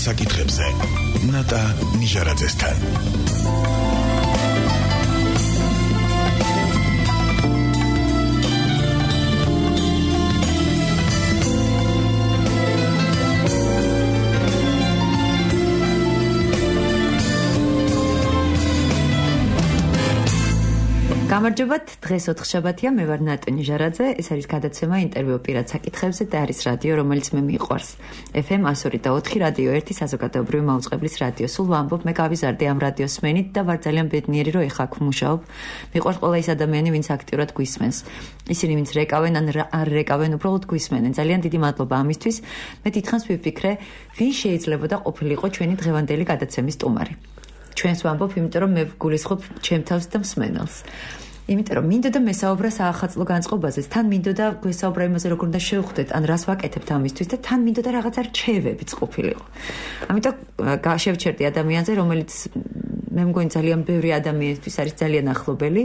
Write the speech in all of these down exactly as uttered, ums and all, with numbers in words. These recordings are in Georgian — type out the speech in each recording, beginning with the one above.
საკითხებზე ნატა ნიჟარაძესთან. გამარჯობათ, დღეს ოთხშაბათია, მე ვარ ნატა ნიჟარაძე, ეს არის გადაცემა ინტერვიუ პირად საკითხებზე და არის რადიო, რომელიც მე მიყვარს. ეფ ემ one oh four point one რადიო ერთი საზოგადოებრივი მაუწყებლის რადიო. სულ ვამბობ, მე გავიზარდე ამ რადიოს სმენით და ვარ ძალიან ბედნიერი, რომ ეხლა აქ ვმუშაობ. მიყვარს ყველა ის ადამიანი, ვინც აქტიურად გვისმენს. ისინი, ვინც რეკავენ ან არ რეკავენ, უბრალოდ გვისმენენ. ძალიან დიდი მადლობა ამისთვის. მე დიდხანს ვიფიქრე, ვინ შეიძლებოდა ყოფილიყო ჩვენი დღევანდელი გადაცემის სტუმარი. ჩვენს ვამბობ, იმიტომ რომ მე ვგულისხმობ ჩემ თავს და მსმენელს. იმიტომ რომ მინდოდა მესაუბრა საახალწლო განწყობაზე, თან მინდოდა გვესაუბრა იმაზე, როგორ უნდა შევხვდეთ, ან რას ვაკეთებთ ამისთვის და თან მინდოდა რაღაცა რჩევებიც ყოფილიყო. ამიტომ შევჩერდი ადამიანზე, რომელიც მე მგონი ძალიან ბევრი ადამიანისთვის არის ძალიან ახლობელი.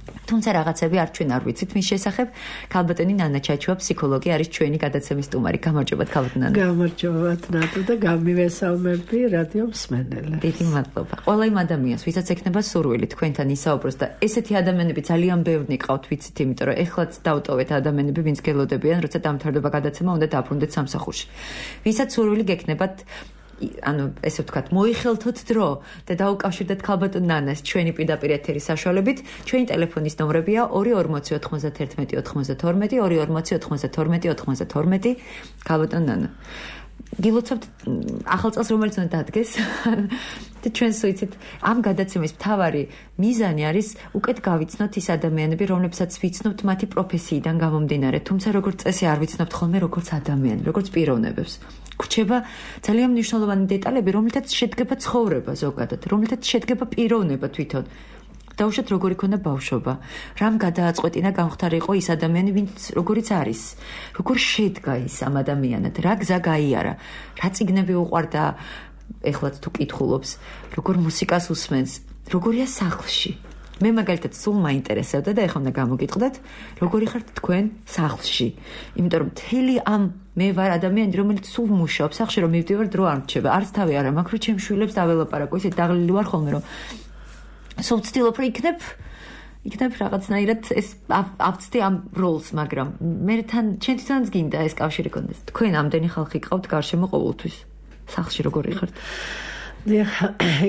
თუმცა რაღაცები არ ჩვენ არ ვიცით მის შესახებ. ქალბატონი ნანა ჩაჩუა, ფსიქოლოგი, არის ჩვენი გადაცემის სტუმარი. გამარჯობათ, ქალბატონი ნანა. გამარჯობათ, ნატო და გამივესალმები რადიო მსმენელებს. დიდი მადლობა. ყველა იმ ადამიანს, ვისაც ექნება სურვილი თქვენთან ისაუბროს და ესეთი ადამიანები ძალიან ბევრი ყავთ, ვიცით, იმიტომ რომ ეხლაც დავტოვეთ ადამიანები, ვინც გელოდებიან, როცა დამთავრდება გადაცემა, უნდა დაბრუნდეთ სამსახურში. ვისაც სურვილი გექნებათ ანუ ესე ვთქვათ, მოიხელთოთ დრო და დაუკავშირდეთ ქალბატონ ნანას ჩვენი პირდაპირ ეთერის საშუალებით. ჩვენი ტელეფონის ნომრებია ორი ორმოცი ოთხმოცდაერთმეტი ოთხმოცდათორმეტი, ორი ორმოცი ოთხმოცდათორმეტი ოთხმოცდათორმეტი. ქალბატონ ნანა, გილოცავთ ახალ წელს რომელიც უნდა დადგეს და ჩვენს ვიცით, ამ გადაცემის მთავარი მიზანი არის უკეთ გავიცნოთ ის ადამიანები, რომლებსაც ვიცნობთ მათი პროფესიიდან გამომდინარე, თუმცა როგორც წესი არ ვიცნობთ ხოლმე როგორც ადამიანი, როგორც პიროვნებებს. გვჩება ძალიან მნიშვნელოვანი დეტალები, რომლითაც შედგება ცხოვრება ზოგადად, რომლითაც შედგება პიროვნება თვითონ. დაუშვათ როგორი ქონდა ბავშვობა, რამ გადააწყვეტინა გამختار იყო ის ადამიანი, ვინც როგორიც არის, როგორ შედგა ის ამ ადამიანად, რა გზა გაიარა, რა წიგნები უყვარდა, ეხლაც თუ კითხულობს, როგორ მუსიკას უსმენს, როგორია სახლში. მე მაგალითად სულ მაინტერესებდა და ეხლა უნდა გამოგიტყდეთ, როგორი ხართ თქვენ სახლში. იმიტომ რომ მთელი ამ მე ვარ ადამიანი, რომელიც სულ მუშაობს სახლში, რომ მივდივარ დრო არ მრჩება. არც თავი არა მაქვს, რომ ჩემ შვილებს დაველაპარაკო, ისე დაღლილი ვარ ხოლმე, რომ სულ ვცდილობ, რომ იქნებ იქნებ რაღაცნაირად ეს ავწდი ამ როლს, მაგრამ მე თან ჩემ თვითონაც გინდა ეს კავშირი კონდეს. თქვენ ამდენი ხალხი ყავთ გარშემო ყოველთვის. სახლში როგორი ხართ? დიახ,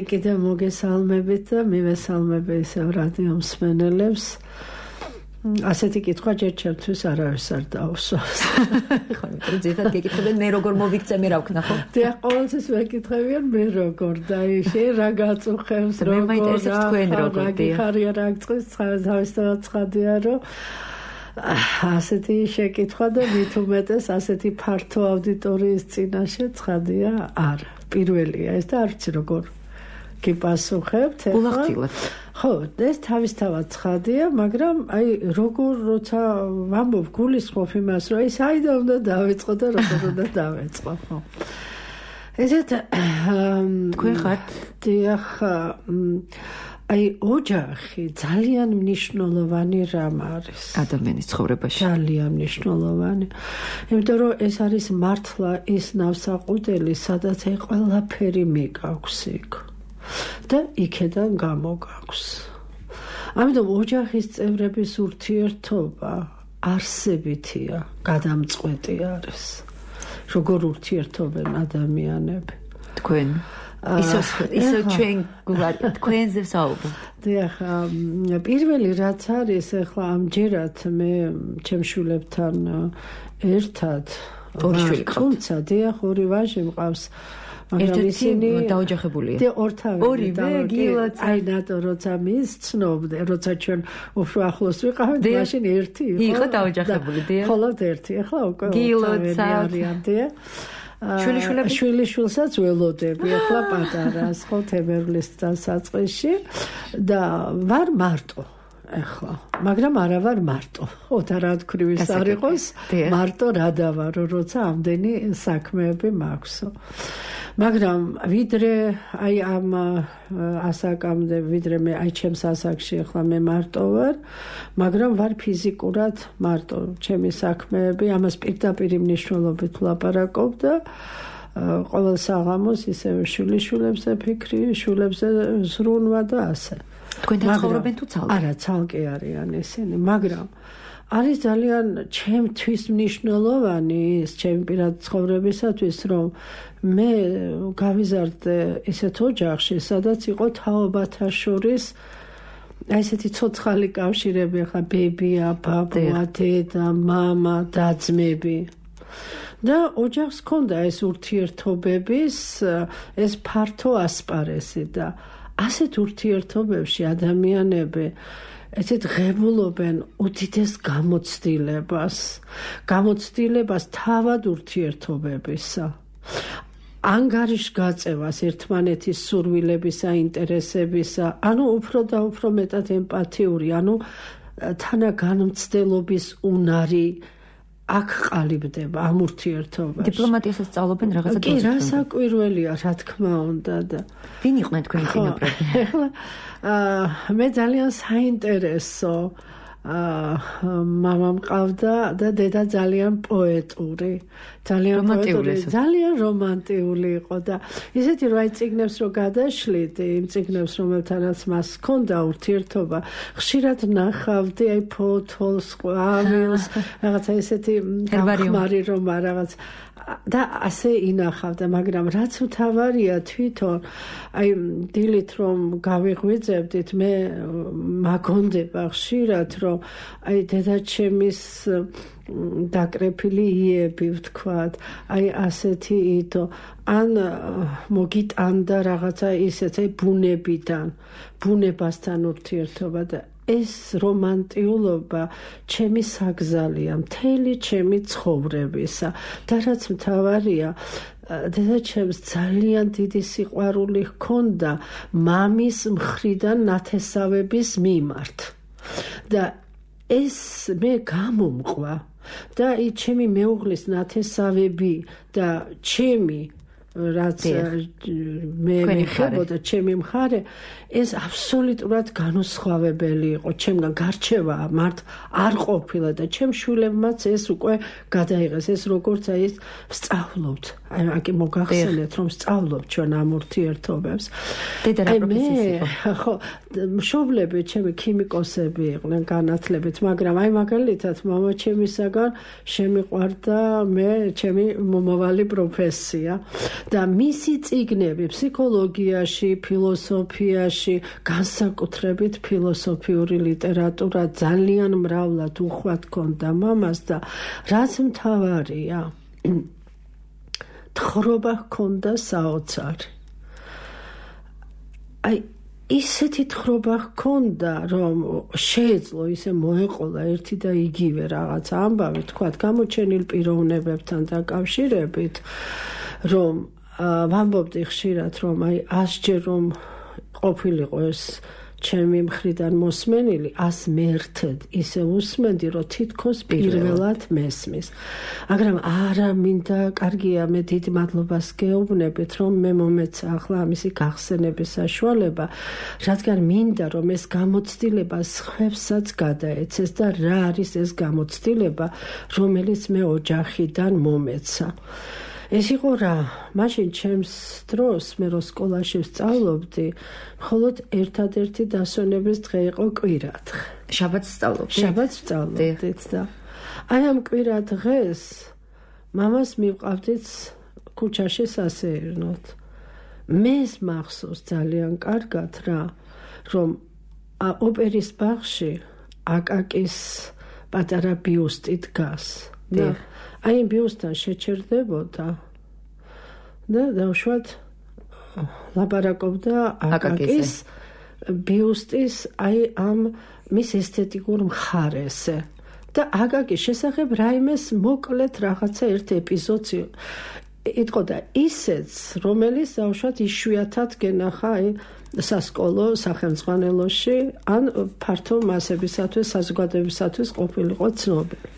კიდევ მოგესალმებით და მივესალმები ისევ რადიო მსმენელებს. ასეთი კითხვა ჯერ ჩემთვის არავის არ დაუსვას. ხო, იმიტომ ზედათ გეკითხებენ მე როგორ მოვიქცე, მე რა ვქნა ხო? დიახ, ყოველთვის მეკითხებიან მე როგორ და ისე რა გაწუხებს, როგორ. მე მაინტერესებს თქვენ როგორ დიახ. ხარია რა გწყვის, თავისთავად ცხადია, რომ ასეთი შეკითხვა და მით უმეტეს ასეთი ფართო აუდიტორიის წინაშე ცხადია არა. პირველია ეს და არ ვიცი როგორ გიპასუხებთ ეხლა. ულახდილად. ხო, ეს თავისთავად ცხადია, მაგრამ აი როგორ როცა ვამბობ გულისხმობ იმას, რომ ეს აიდან უნდა დავიწყო და როგორ უნდა დავიწყო, ხო. ესეთ თქვენ ხართ? დიახ, აი ოჯახი ძალიან მნიშვნელოვანი რამ არის ადამიანის ცხოვრებაში. ძალიან მნიშვნელოვანი. იმიტომ რომ ეს არის მართლა ის ნავსაყუდელი, სადაც აი ყველაფერი მიგაქვს იქ და იქედან გამოგაქვს. ამიტომ ოჯახის წევრების ურთიერთობა არსებითია, გადამწყვეტი არის. როგორ ურთიერთობენ ადამიანები? თქვენ ისო ისო ჩვენ გვარი თქვენზე საუბრო. დიახ, პირველი რაც არის ახლა ამჯერად მე ჩემ შვილებთან ერთად ორი შვილი ყავთ. თუმცა დიახ, ორი ვაჟი მყავს. მაგრამ ისინი დაოჯახებულია. და ორთავი. ორივე გილოც. აი ნატო როცა მის ცნობდე, როცა ჩვენ უფრო ახლოს ვიყავით, მაშინ ერთი იყო. იყო დაოჯახებული, დიახ. მხოლოდ ერთი, ახლა უკვე გილოც არიან, დიახ. შვილიშვილები შვილიშვილსაც ველოდები, ახლა პატარას, ხო, თებერვლის დასაწყისში და ვარ მარტო. ახლა, მაგრამ არა ვარ მარტო. ოთარათქრივის არ იყოს, მარტო რა დავარო, როცა ამდენი საქმეები მაქვსო. მაგრამ ვიდრე აი ამ ასაკამდე, ვიდრე მე აი ჩემს ასაკში ახლა მე მარტო ვარ, მაგრამ ვარ ფიზიკურად მარტო. ჩემი საქმეები, ამას პირდაპირ მნიშვნელობით ვლაპარაკობ და ყოველ საღამოს ისევ შვილიშვილებზე ფიქრი, შვილებზე ზრუნვა და ასე. თქვენთან ცხოვრობენ თუ ცალკე? არა, ცალკე არიან ესენი, მაგრამ არის ძალიან ჩემთვის მნიშვნელოვანი ის ჩემი პირადი ცხოვრებისათვის, რომ მე გავიზარდე ისეთ ოჯახში, სადაც იყო თაობათა შორის აი ესეთი ცოცხალი კავშირები, ხა ბებია, ბაბუა, დედა, მამა, და-ძმები. და ოჯახს ჰქონდა ეს ურთიერთობების ეს ფართო ასპარეზი და ასეთ ურთიერთობებში ადამიანები ესეთ ღებულობენ უდიდეს გამოცდილებას, გამოცდილებას თავად ურთიერთობებისა. ანგარიშგაწევას ერთმანეთის სურვილებისა, ინტერესებისა, ანუ უფრო და უფრო მეტად ემპათიური, ანუ თანაგანმცდელობის უნარი აქ ყალიბდება ამ ურთიერთობაში. დიპლომატიასაც სწავლობენ რაღაცა კი, რა საკვირველია, რა თქმა უნდა და ვინ იყვნენ თქვენი წინაპრები? ახლა მე ძალიან საინტერესო მამა მყავდა და დედა ძალიან პოეტური, ძალიან პოეტური, ძალიან რომანტიული იყო და ისეთი რომ აი წიგნებს რო გადაშლით, იმ წიგნებს რომელთანაც მას ჰქონდა ურთიერთობა, ხშირად ნახავდი აი ფოთოლს, ყვავილს, რაღაცა ისეთი ხმარი რომ რაღაც და ასე ინახავდა, მაგრამ რაც მთავარია თვითონ აი დილით რომ გავიღვიძებდით, მე მაგონდება ხშირად რომ აი დედაჩემის დაკრეფილი იები ვთქვათ, აი ასეთი იდო ან მოგიტანდა რაღაცა ისეთ აი ბუნებიდან, ბუნებასთან ურთიერთობა და ეს რომანტიულობა ჩემი საგზალია, მთელი ჩემი ცხოვრებისა და რაც მთავარია, დედაჩემს ძალიან დიდი სიყვარული ჰქონდა მამის მხრიდან ნათესავების მიმართ და ეს მე გამომყვა და ის ჩემი მეუღლის ნათესავები და ჩემი რაც მე მეხებოდა ჩემი მხარე ეს აბსოლუტურად განუსხვავებელი იყო ჩემგან გარჩევა მართ არ ყოფილა და ჩემ შვილებმაც ეს უკვე გადაიღეს ეს როგორც აი ეს ვსწავლობთ აი აკი მოგახსენეთ რომ ვსწავლობთ ჩვენ ამ ურთიერთობებს დედა რა პროფესიის იყო ხო მშობლები ჩემი ქიმიკოსები იყვნენ განათლებით მაგრამ აი მაგალითად მამა ჩემისაგან შემიყვარდა მე ჩემი მომავალი პროფესია და მისი წიგნები ფსიქოლოგიაში, ფილოსოფიაში, განსაკუთრებით ფილოსოფიური ლიტერატურა ძალიან მრავლად უხვად ჰქონდა მამას და რაც მთავარია, თხრობა ჰქონდა საოცარი. აი ისეთი თხრობა ჰქონდა, რომ შეეძლო ისე მოეყოლა ერთი და იგივე რაღაც ამბავი, თქვათ, გამოჩენილ პიროვნებებთან დაკავშირებით, რომ ვამბობდი ხშირად რომ აი ასჯერ რომ ყოფილიყო ეს ჩემი მხრიდან მოსმენილი ას მერტად ისე უსმენდი რომ თითქოს პირველად მესმის მაგრამ არა მინდა კარგია მე დიდ მადლობას გეუბნებით რომ მე მომეცა ახლა ამისი გახსენების საშუალება რადგან მინდა რომ ეს გამოცდილება სხვებსაც გადაეცეს და რა არის ეს გამოცდილება რომელიც მე ოჯახიდან მომეცა ეს იყო რა, მაშინ ჩემს დროს, მე რო სკოლაში ვსწავლობდი, მხოლოდ ერთადერთი დასვენების დღე იყო კვირადღე. შაბათს სწავლობდით? შაბათს ვსწავლობდით და აი ამ კვირადღეს მამას მივყავდით ქუჩაში სასეირნოდ. მე მახსოვს ძალიან კარგად რა, რომ ოპერის ბაღში აკაკის პატარა ბიუსტი დგას. და აი იმ ბიუსტთან შეჩერდებოდა და დავშვათ ლაპარაკობდა აკაკის ბიუსტის აი ამ მის ესთეტიკურ მხარეზე და აკაკის შესახებ რაიმეს მოკლედ რაღაცა ერთ ეპიზოდს იტყოდა ისეც რომელიც დავშვათ იშვიათად გენახა აი სასკოლო სახელმძღვანელოში ან ფართო მასებისათვის საზოგადოებისათვის ყოფილიყო ცნობილი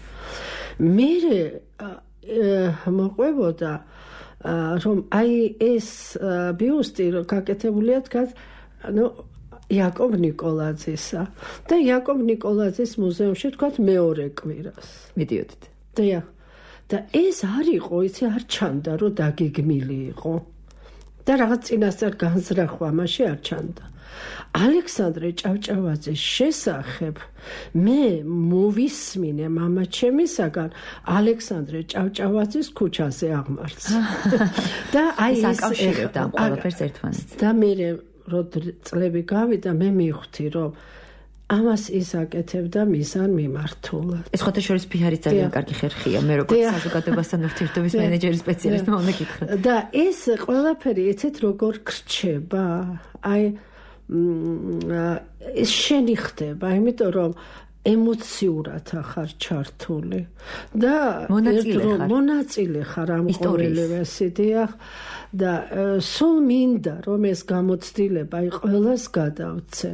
მე მოყვებოდა რომ აი ეს ბიუსტი გაკეთებულია დგას ანუ იაკობ ნიკოლაძისა და იაკობ ნიკოლაძის მუზეუმში თქვათ მეორე კვირას მიდიოდით და და ეს არ იყო, იცი, არ ჩანდა, რომ დაგეგმილი იყო. და რაღაც წინასწარ განზრახვა მაშინ არ ჩანდა. ალექსანდრე ჭავჭავაძის შესახებ მე მოვისმინე მამაჩემისაგან ალექსანდრე ჭავჭავაძის ქუჩაზე აღმართს. და აი ეს აკავშირებდა ამ ყველაფერს ერთმანეთს. და მე რო წლები გავიდა, მე მივხვდი, რომ ამას ის აკეთებდა მისან მიმართულად. ეს ხოთაშორის ფიჰარის ძალიან კარგი ხერხია, მე როგორც საზოგადოებასთან ურთიერთობის მენეჯერის სპეციალისტი უნდა გითხრა. და ეს ყველაფერი ეცეთ როგორ გრჩება? აი ეს შენი ხდება, იმიტომ რომ ემოციურად ახარ ჩართული და მონაწილე ხარ ამ ყოველივეს დიახ და სულ მინდა რომ ეს გამოცდილება აი ყველას გადავცე.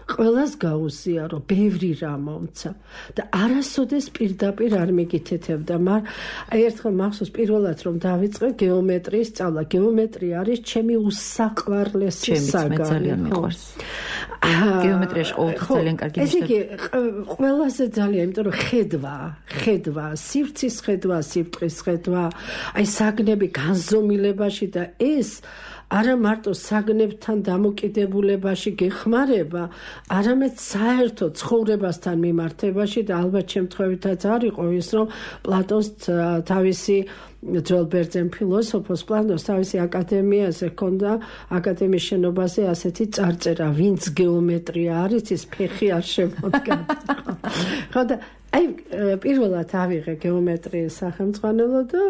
ყველას გაუზიარო, ბევრი რამ მომცა და არასოდეს პირდაპირ არ მიგითეთებდა, მაგრამ აი ერთხელ მახსოვს პირველად რომ დავიწყე გეომეტრიის სწავლა. გეომეტრია არის ჩემი უსაყვარლესი საგანი. ძალიან მიყვარს. გეომეტრიაში ყოველთვის ძალიან კარგი ეს იგი ყველაზე ძალიან, იმიტომ რომ ხედვა, ხედვა, სივრცის ხედვა, სიბრტყის ხედვა, აი საგნები განზომილებაში და ეს არა მარტო საგნებთან დამოკიდებულებაში გეხმარება, არამედ საერთო ცხოვრებასთან მიმართებაში და ალბათ შემთხვევითაც არ იყო ის, რომ პლატონს თავისი ძველ ბერძენ ფილოსოფოს პლატონს თავისი აკადემიაზე ჰქონდა, აკადემიის შენობაზე ასეთი წარწერა, ვინც გეომეტრია არის, ის ფეხი არ შემოდგა. ხო და აი პირველად ავიღე გეომეტრიის სახელმძღვანელო და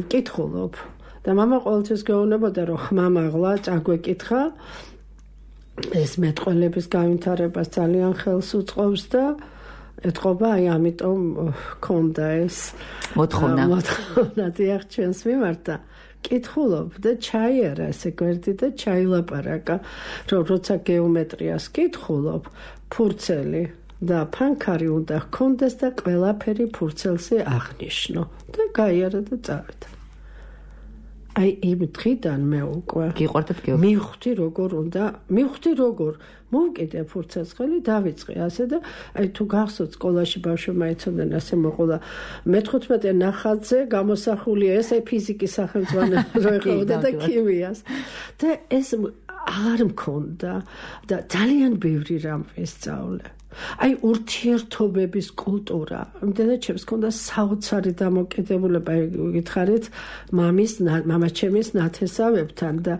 ვკითხულობ. და მამა ყოველთვის გეუბნებოდა, რომ ხმამაღლა წაგვეკითხა, ეს მეტყველების გავითარებას ძალიან ხელს უწყობს და ეთყობა, აი ამიტომ ქონდა ეს მოთხოვნა. მოთხოვნა დიახ ჩვენს მიმართ და კითხულობ და ჩაიარა ესე გვერდი და ჩაილაპარაკა, რომ როცა გეომეტრიას კითხულობ, ფურცელი და ფანქარი უნდა ჰქონდეს და ყველაფერი ფურცელზე აღნიშნო და გაიარა და წავიდა. აი იმ დღიდან მე უკვე გიყვარდათ გეომეტრია. მივხვდი როგორ უნდა, მივხვდი როგორ მოვკიდე ფურცელს ხელი, დავიწყე ასე და აი თუ გახსოვთ სკოლაში ბავშვებმა იცოდნენ ასე მოყოლა მეთხუთმეტე ნახატზე გამოსახულია ეს აი ფიზიკის სახელმძღვანელო რო ეხავდა და ქიმიას. და ეს აღარ მქონდა და ძალიან ბევრი რამ ვესწავლე. აი ურთიერთობების კულტურა. იმდენად ჩემს ქონდა საოცარი დამოკიდებულება, გითხარით, მამის, მამაჩემის ნათესავებთან და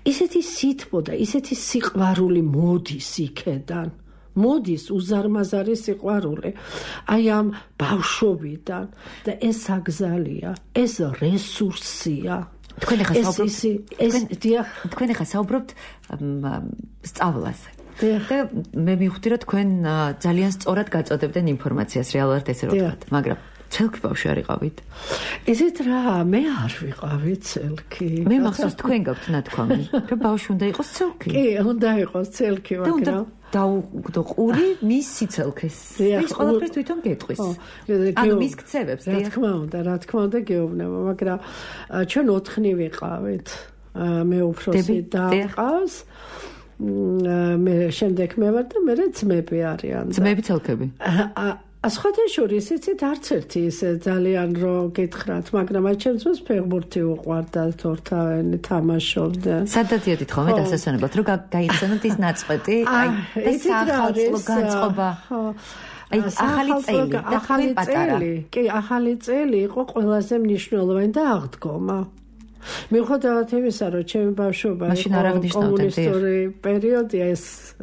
ისეთი სითბო და ისეთი სიყვარული მოდის იქედან. მოდის უზარმაზარი სიყვარული. აი ამ ბავშვობიდან და ეს აგზალია, ეს რესურსია. თქვენ ახლა საუბრობთ, თქვენ ახლა საუბრობთ სწავლაზე. და მე მივხვდი, რომ თქვენ ძალიან სწორად გაწოდებდნენ ინფორმაციას, რეალურად ესე რომ ვთქვათ, მაგრამ ცელქი ბავშვი არ იყავით? ესეთ რა, მე არ ვიყავი ცელქი. მე მახსოვს თქვენ გაქვთ ნათქვამი, რომ ბავშვი უნდა იყოს ცელქი. კი, უნდა იყოს ცელქი, მაგრამ დაუგდო ყური მის სიცელქეს. ეს ყველაფერს თვითონ გეტყვის. ანუ მის ქცევებს, რა თქმა უნდა, რა თქმა უნდა გეუბნება, მაგრამ ჩვენ ოთხნი ვიყავით. მე უფროსი და ყავს. მე შემდეგ მე ვარ და მე ძმები არიან. ძმები ცელქები. ასხოთა შორის იცით არც ერთი ისე ძალიან რო გითხრათ, მაგრამ აი ჩემს მას ფეხბურთი უყვარდა, თორთავენი თამაშობდა. სადაც დიოდით ხოლმე დასასვენებლად, რომ გაიხსენოთ ის ნაწყვეტი, აი და სახალხო განწყობა. აი ახალი წელი და ახალი წელი. კი, ახალი წელი იყო ყველაზე მნიშვნელოვანი და აღდგომა. მიუხედავად იმისა, რომ ჩემი ბავშვობა კომუნისტური პერიოდია, ეს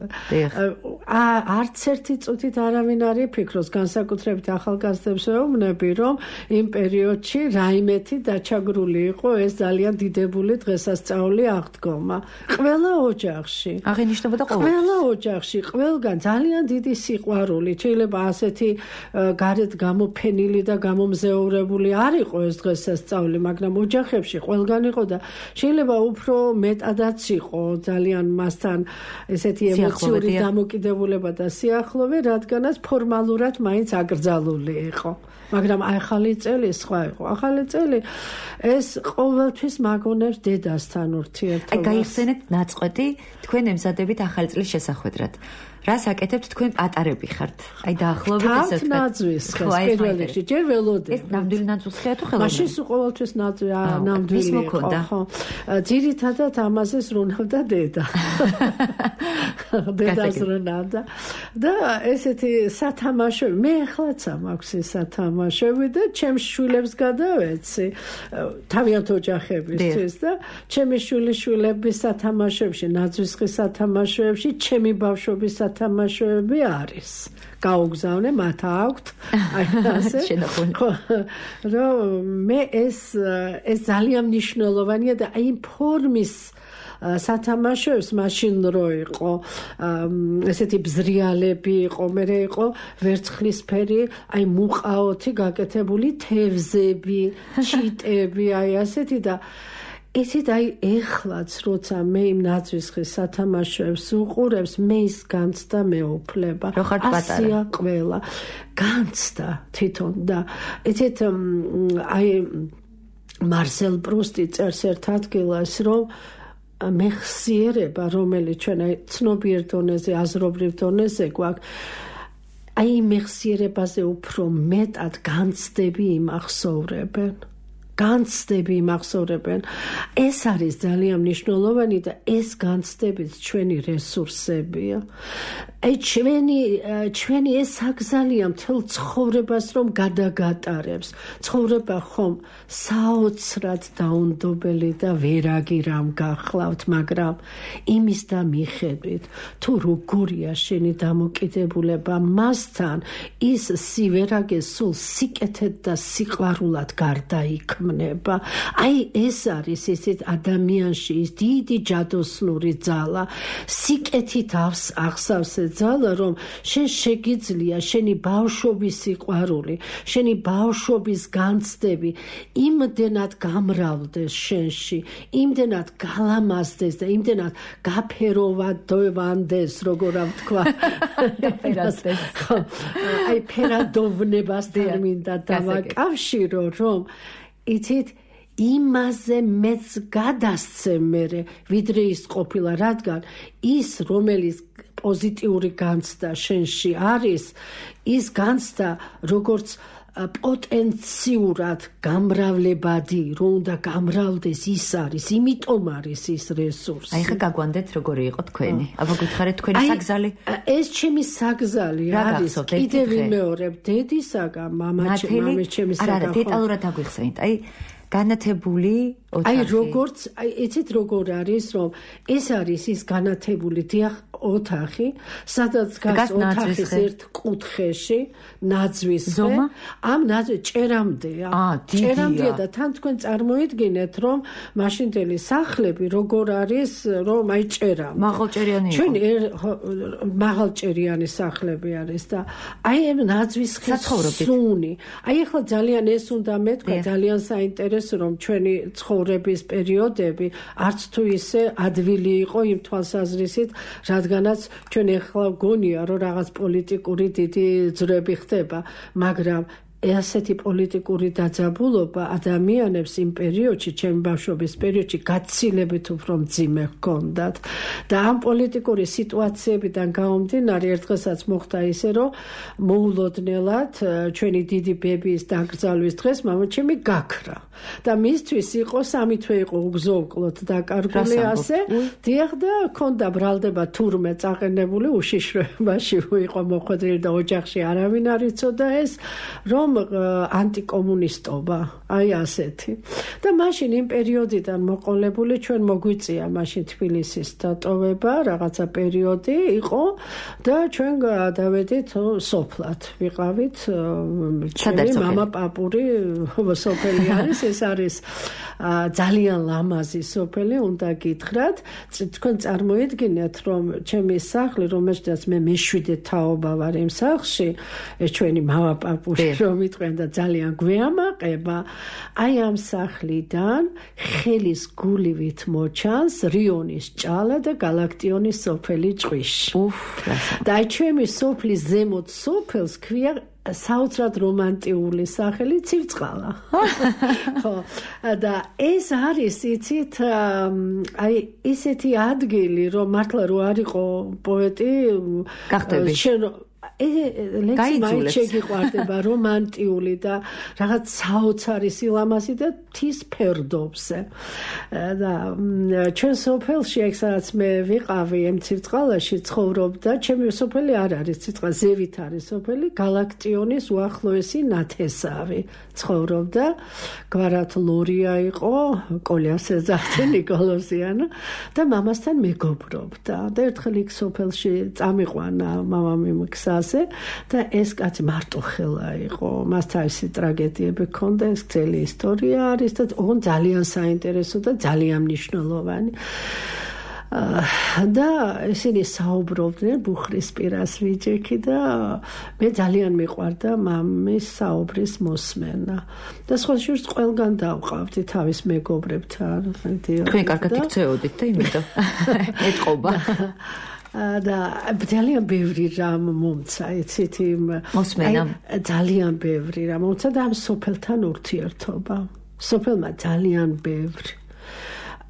არც ერთი წუთით არავინ არ იფიქროს, განსაკუთრებით ახალგაზრდებს ვეუბნები, რომ იმ პერიოდში რაიმეთი დაჩაგრული იყო ეს ძალიან დიდებული დღესასწაული აღდგომა. ყველა ოჯახში. აღინიშნებოდა ყოველთვის. ყველა ოჯახში, ყველგან ძალიან დიდი სიყვარული. შეიძლება ასეთი გარეთ გამოფენილი და გამომზეურებული არ იყო ეს დღესასწაული, მაგრამ ოჯახებში ყველგან იყო და შეიძლება უფრო მეტადაც იყო ძალიან მასთან ესეთი ემოციური დამოკიდებულება და სიახლოვე, რადგანაც ფორმალურად მაინც აკრძალული იყო. მაგრამ ახალი წელი სხვა იყო. ახალი წელი ეს ყოველთვის მაგონებს დედასთან ურთიერთობას. აი გაიხსენეთ ნაწყვეტი თქვენ ემზადებით ახალი წლის შესახვედრად. რას აკეთებთ თქვენ პატარები ხართ? აი დაახლოებით ესე თქვა. ნაძვის ხეს პირველ რიგში ჯერ ველოდები. ეს ნამდვილი ნაძვის ხეა თუ ხელოვნური? მაშინ ყოველთვის ნაძვი ნამდვილი იყო, ხო. ძირითადად ამაზე ზრუნავდა დედა. დედა ზრუნავდა. და ესეთი სათამაშოები, მე ახლაც მაქვს ეს სათამაშოები და ჩემს შვილებს გადავეცი თავიანთ ოჯახებისთვის და ჩემი შვილიშვილების სათამაშოებში, ნაძვის ხის სათამაშოებში, ჩემი ბავშვობის სათამაშოები არის. გაუგზავნე მათ აქვთ. აი ასე. რომ მე ეს ეს ძალიან მნიშვნელოვანია და აი ფორმის სათამაშოებს მაშინ რო იყო ესეთი ბზრიალები იყო, მერე იყო ვერცხლისფერი, აი მუყაოთი გაკეთებული თევზები, ჩიტები, აი ასეთი და ისიც აი ეხლაც როცა მე იმ ნაძვის ხის სათამაშოებს უყურებს მე ის განცდა მეუფლება ასია ყველა განცდა თვითონ და ისეთ აი მარსელ პრუსტი წერს ერთ ადგილას რომ მეხსიერება რომელიც ჩვენ აი ცნობიერ დონეზე აზრობრივ დონეზე გვაქვს აი მეხსიერებაზე უფრო მეტად განცდები იმახსოვრებენ განცდები იმახსოვრებენ. ეს არის ძალიან მნიშვნელოვანი და ეს განცდებიც ჩვენი რესურსებია. აი ჩვენი ჩვენი ეს აკზალია მთელ ცხოვრებას რომ გადაგატარებს. ცხოვრება ხომ საოცრად დაუნდობელი და ვერაგი რამ გახლავთ, მაგრამ იმის და მიხედვით თუ როგორია შენი დამოკიდებულება მასთან, ის სივერაგე სულ სიკეთედ და სიყვარულად გარდაიქმნება. აი ეს არის ისეთ ადამიანში ის დიდი ჯადოსნური ძალა სიკეთით აღსავს ძალა რომ შენ შეგიძლია შენი ბავშვობის სიყვარული შენი ბავშვობის განცდები იმდენად გამრავლდეს შენში იმდენად გალამაზდეს და იმდენად გაფეროვანდეს როგორ ვთქვა ფერადოვნებას აი ფერადოვნებასთან მინდა დავაკავშირო რომ იცით იმაზე მეც გადასცემ მერე ვიდრე ის ყოფილა რადგან ის რომელიც პოზიტიური განცდა შენში არის ის განცდა როგორც პოტენციურად გამრავლებადი რომ უნდა გამრავლდეს ის არის იმიტომ არის ის რესურსი აი ხა გაგვანდეთ როგორი იყო თქვენი აბა გითხარით თქვენი საგზალი ეს ჩემი საგზალი არის კიდევ ვიმეორებ დედისაგან მამაჩემის ჩემისაგან არა დეტალურად აგვიხსენით აი განათებული ოთახი. აი როგორც აი იცით როგორ არის რომ ეს არის ის განათებული დიახ ოთახი, სადაც გას ოთახის ერთ კუთხეში ნაძვის ზომა ამ ნაძვის ჭერამდეა. ჭერამდეა და თან თქვენ წარმოიდგინეთ რომ მაშინდელი სახლები როგორ არის რომ აი ჭერა. მაღალჭერიანი იყო. ჩვენ მაღალჭერიანი სახლები არის და აი ამ ნაძვის სუნი. აი ახლა ძალიან ეს უნდა მეთქვა ძალიან საინტერესო რომ ჩვენი ცხოვრების პერიოდები არც თუ ისე ადვილი იყო იმ თვალსაზრისით, რადგანაც ჩვენ ახლა გონია რომ რაღაც პოლიტიკური დიდი ძრები ხდება, მაგრამ ასეთი პოლიტიკური დაძაბულობა ადამიანებს იმ პერიოდში, ჩემი ბავშვობის პერიოდში გაცილებით უფრო მძიმე ჰქონდათ და ამ პოლიტიკური სიტუაციებიდან გამომდინარე ერთხელსაც მოხდა ისე, რომ მოულოდნელად ჩვენი დიდი ბებიის დაკრძალვის დღეს მამაჩემი გაქრა და მისთვის იყო სამი თვე იყო უგზო-უკლოდ დაკარგული ასე დიახ და ჰქონდა ბრალდება თურმე წაყენებული უშიშროებაში იყო მოხვედრილი და ოჯახში არავინ არ იცოდა ეს რომ ანტიკომუნისტობა, აი ასეთი. და მაშინ იმ პერიოდიდან მოყოლებული ჩვენ მოგვიწია მაშინ თბილისის დატოვება, რაღაცა პერიოდი იყო და ჩვენ გადავედით სოფლად. ვიყავით ჩემი მამა პაპური სოფელი არის, ეს არის ძალიან ლამაზი სოფელი, უნდა გითხრათ. თქვენ წარმოიდგინეთ, რომ ჩემი სახლი, რომელშიც მე მეშვიდე თაობა ვარ იმ სახლში, ეს ჩვენი მამა პაპური რომ მიტყვენ და ძალიან გვეამაყება, აი ამ სახლიდან ხელის გულივით მოჩანს რიონის ჭალა და გალაქტიონის სოფელი ჭყვიში. და აი ჩემი სოფლის ზემოთ სოფელს ქვია საოცრად რომანტიული სახელი ცივწყალა. ხო, და ეს არის იცით აი ისეთი ადგილი რომ მართლა რო არ იყო პოეტი გახდები ლექსი შეგიყვარდება რომანტიული და რაღაც საოცარი სილამაზი და მთის ფერდობზე და ჩვენ სოფელში ეგ სადაც მე ვიყავი ამ ცირწყალაში ცხოვრობდა ჩემი სოფელი არ არის ცირწყალ ზევით არის სოფელი გალაქტიონის უახლოესი ნათესავი ცხოვრობდა გვარად ლორია იყო კოლიას ეძახდა ნიკოლოზიანო და მამასთან მეგობრობდა და ერთხელ იქ სოფელში წამიყვანა მამამიმ გზას და ეს კაცი მარტოხელა იყო მას თავისი ტრაგედიები ჰქონდა ეს ძელი ისტორია არის და ოღონდ ძალიან საინტერესო და ძალიან მნიშვნელოვანი და ისინი საუბრობდნენ ბუხრისპირას ვიჯექი და მე ძალიან მიყვარდა მამის საუბრის მოსმენა და სხვა შორს ყველგან დავყავდი თავის მეგობრებთან თქვენ კარგად იქცეოდით და იმიტომ ეთყობა და ძალიან ბევრი რამ მომცა იცით იმ მოსმენა ძალიან ბევრი რამ მომცა და ამ სოფელთან ურთიერთობა სოფელმა ძალიან ბევრი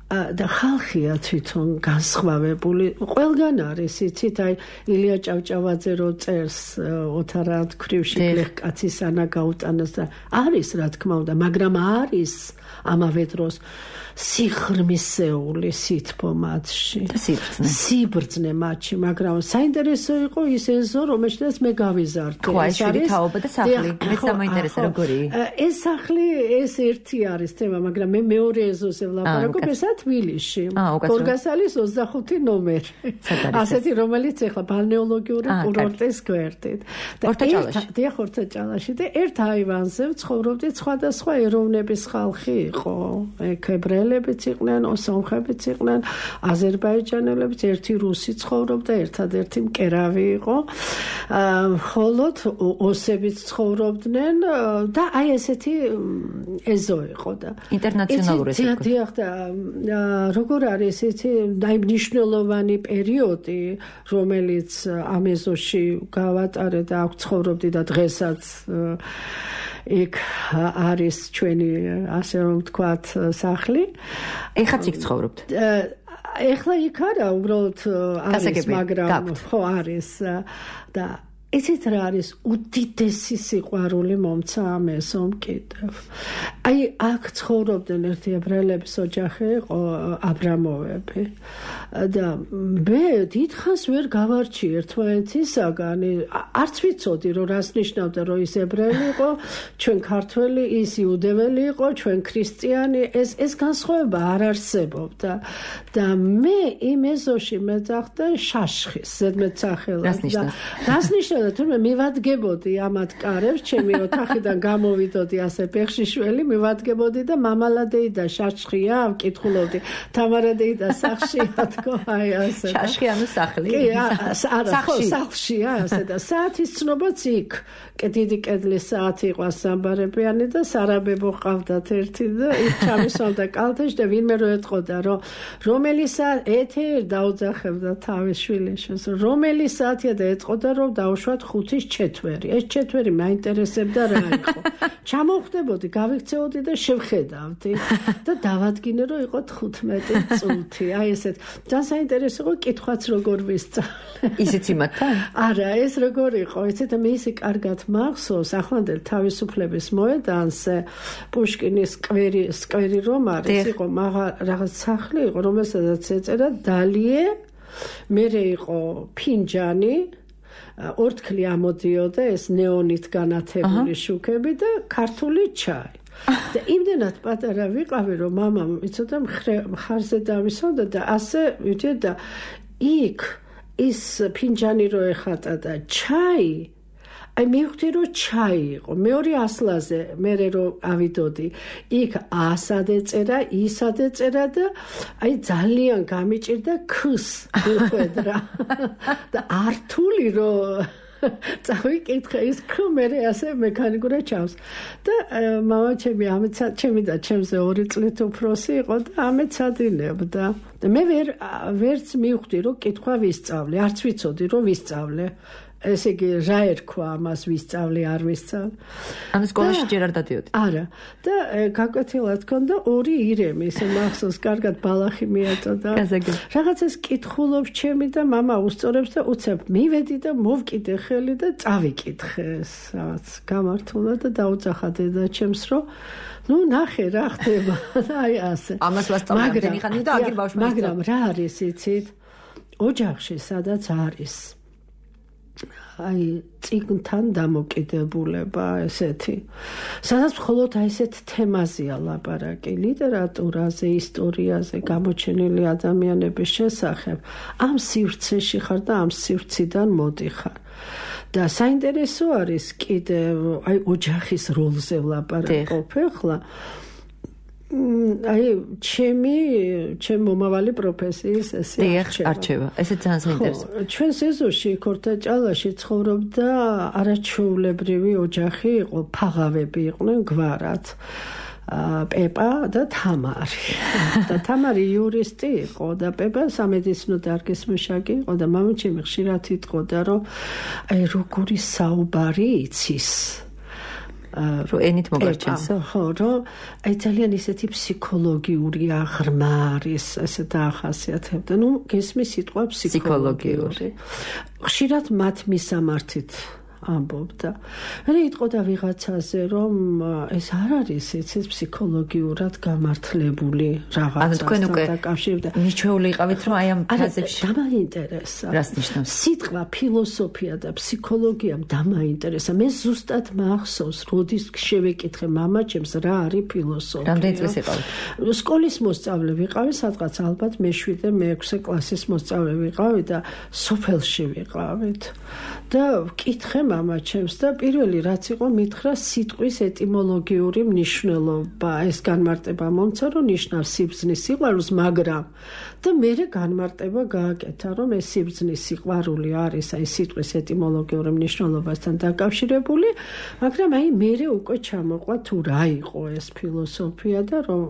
და ხალხია თვითონ განსხვავებული ყველგან არის იცით აი ილია ჭავჭავაძე რო წერს ოთარად ქრივში გლეხკაცის ანა გაუტანას და არის რა თქმა უნდა მაგრამ არის ამავე დროს სიხრმისეული სითბო მათში სიბრძნე მათში მაგრამ საინტერესო იყო ის ეზო რომელშიც მე გავიზარდე ეს არის თაობა და სახლი მეც დამაინტერესა როგორი ეს სახლი ეს ერთი არის თემა მაგრამ მე მეორე ეზოზე ვლაპარაკობ ესა თბილისში გორგასალის ოცდახუთი ნომერი ასეთი რომელიც ეხლა ბალნეოლოგიური კურორტის გვერდით და ერთ ხორცაჭალაში და ერთ აივანზე ცხოვრობდით სხვადასხვა ეროვნების ხალხი იყო ებრაელებიც იყვნენ, სომხებიც იყვნენ, აზერბაიჯანელებიც, ერთი რუსი ცხოვრობდა, ერთადერთი მკერავი იყო. ხოლოდ ოსებიც ცხოვრობდნენ და აი ესეთი ეზო იყო და ინტერნაციონალური ეზო. დიახ და როგორ არის ესეთი აი მნიშვნელოვანი პერიოდი, რომელიც ამ ეზოში გავატარე და აქ ცხოვრობდი და დღესაც იქ არის ჩვენი ასე რომ ვთქვათ სახლი. ეხაც იქ ცხოვრობთ? ეხლა იქ არა, უბრალოდ არის, მაგრამ ხო არის და ესეთ რა არის უდიდესი სიყვარული მომცა ამ ეზომ კიდევ. აი აქ ცხოვრობდნენ ერთი ებრაელების ოჯახი იყო აბრამოვები და მე დიდხანს ვერ გავარჩი ერთმანეთისაგან არც ვიცოდი რომ რას ნიშნავდა რომ ის ებრაელი იყო ჩვენ ქართველი ის იუდეველი იყო ჩვენ ქრისტიანი ეს ეს განსხვავება არ არსებობდა და მე იმ ეზოში მეძახდა შაშხის ზედმეტ სახელად და რას ნიშნავდა თუმცა მივადგებოდი ამათ კარებს ჩემი ოთახიდან გამოვიდოდი ასე ფეხშიშველი მივადგებოდი და მამალადეი და შაშხია ვკითხულობდი თამარადეი და სახშია თქო აი ასე შაშხი ანუ სახლი კი არა ხო სახლშია ასე და საათის ცნობაც იქ დიდი კედლის საათი იყო სამბარებიანი და სარაბებო ყავდათ ერთი და იქ ჩამისვალდა კალთაში და ვინმე რო ეთყოდა რომ რომელი საათი ეთერ დაუძახებდა თავის შვილიშვილს რომელი საათია და ეთყოდა რომ დაუშვათ ხუთის ჩეთვერი ეს ჩეთვერი მაინტერესებდა რა იყო ჩამოვხდებოდი გავიქცეოდი და შევხედავდი და დავადგინე რომ იყო თხუთმეტი წუთი აი ესეთ ძალიან საინტერესო იყო კითხვაც როგორ ვისწავლე ისიც იმათთან არა ეს როგორ იყო ესეთ მე ისე კარგად მახსოვს ახლანდელ თავისუფლების მოედანზე პუშკინის სკვერი სკვერი რომ არის იყო რაღაც სახლი იყო რომელსაც ეწერა დალიე მერე იყო ფინჯანი ორთქლი ამოდიოდა ეს ნეონით განათებული შუქები და ქართული ჩაი და იმდენად პატარა ვიყავი რომ მამამ იცოდა მხარზე დავისვამდა და ასე ვიდე და იქ ის ფინჯანი რო ეხატა და ჩაი აი მივხვდი რომ ჩაი იყო მეორე ასლაზე მე რო ავიდოდი იქ ასად ეწერა ისად ეწერა და აი ძალიან გამიჭირდა ქს ვიხედრა და ართული რო წავიკითხე ის ქმერე ასე მექანიკურად ჩავს და მამა ჩემი ამეც ჩემი და ჩემზე ორი წლით უფროსი იყო და ამეცადინებდა და მე ვერ ვერც მივხვდი რომ კითხვა ვისწავლე არც ვიცოდი რომ ვისწავლე ესე იგი რა ერქვა ამას ვისწავლი არ ვისწავლი. ანუ სკოლაში ჯერ არ დადიოდი? არა. და გაკვეთილად ქონდა ორი ირემი, ისე მახსოვს, კარგად ბალახი მიაწოდა. რაღაცას კითხულობს ჩემი და მამა უსწორებს და უცებ მივედი და მოვკიდე ხელი და წავიკითხე ეს რაღაც გამართულა და დაუძახა დედაჩემს რომ ნუ ნახე რა ხდება. აი ასე. ამას ვასწავლე ამდენი ხანი და აგერ ბავშვი. მაგრამ რა არის იცით? ოჯახში სადაც არის აი წიგნთან დამოკიდებულება ესეთი. სადაც მხოლოდ აი ესეთ თემაზეა ლაპარაკი, ლიტერატურაზე, ისტორიაზე, გამოჩენილი ადამიანების შესახებ. ამ სივრცეში ხარ და ამ სივრციდან მოდიხარ. და საინტერესო არის კიდევ აი ოჯახის როლზე ვლაპარაკობ ახლა. აი ჩემი ჩემ მომავალი პროფესიის ესე არჩევა. ესე ძალიან საინტერესოა. ჩვენ სეზონში ქორთაჭალაში ცხოვრობდა არაჩვეულებრივი ოჯახი იყო, ფაღავები იყვნენ გვარად. პეპა და თამარი. და თამარი იურისტი იყო და პეპა სამედიცინო დარგის მუშაკი იყო და მამაჩემი ხშირად იტყოდა რომ აი როგორი საუბარი იცის. რომ ენით მოგარჩენსო? ხო, რომ აი ძალიან ისეთი ფსიქოლოგიური აღრმა არის, ესე დაახასიათებდა. ნუ გესმის სიტყვა ფსიქოლოგიური. ხშირად მათ მისამართით ამბობდა. მე იტყოდა ვიღაცაზე, რომ ეს არ არის იცის ფსიქოლოგიურად გამართლებული რაღაცასთან დაკავშირდა. მიჩვეული იყავით, რომ აი ამ ფრაზებში დამაინტერესა. რას ნიშნავს? სიტყვა ფილოსოფია და ფსიქოლოგიამ დამაინტერესა. მე ზუსტად მახსოვს, როდის შევეკითხე მამაჩემს რა არის ფილოსოფია. რამდენი წლის იყავით? სკოლის მოსწავლე ვიყავი, სადღაც ალბათ მეშვიდე, მეექვსე კლასის მოსწავლე ვიყავი და სოფელში ვიყავით. და ვკითხე მამაჩემს და პირველი რაც იყო მითხრა სიტყვის ეტიმოლოგიური მნიშვნელობა. ეს განმარტება მომცა რომ ნიშნავს სიბრძნის სიყვარულს, მაგრამ და მერე განმარტება გააკეთა რომ ეს სიბრძნის სიყვარული არის აი სიტყვის ეტიმოლოგიური მნიშვნელობასთან დაკავშირებული, მაგრამ აი მერე უკვე ჩამოყვა თუ რა იყო ეს ფილოსოფია და რომ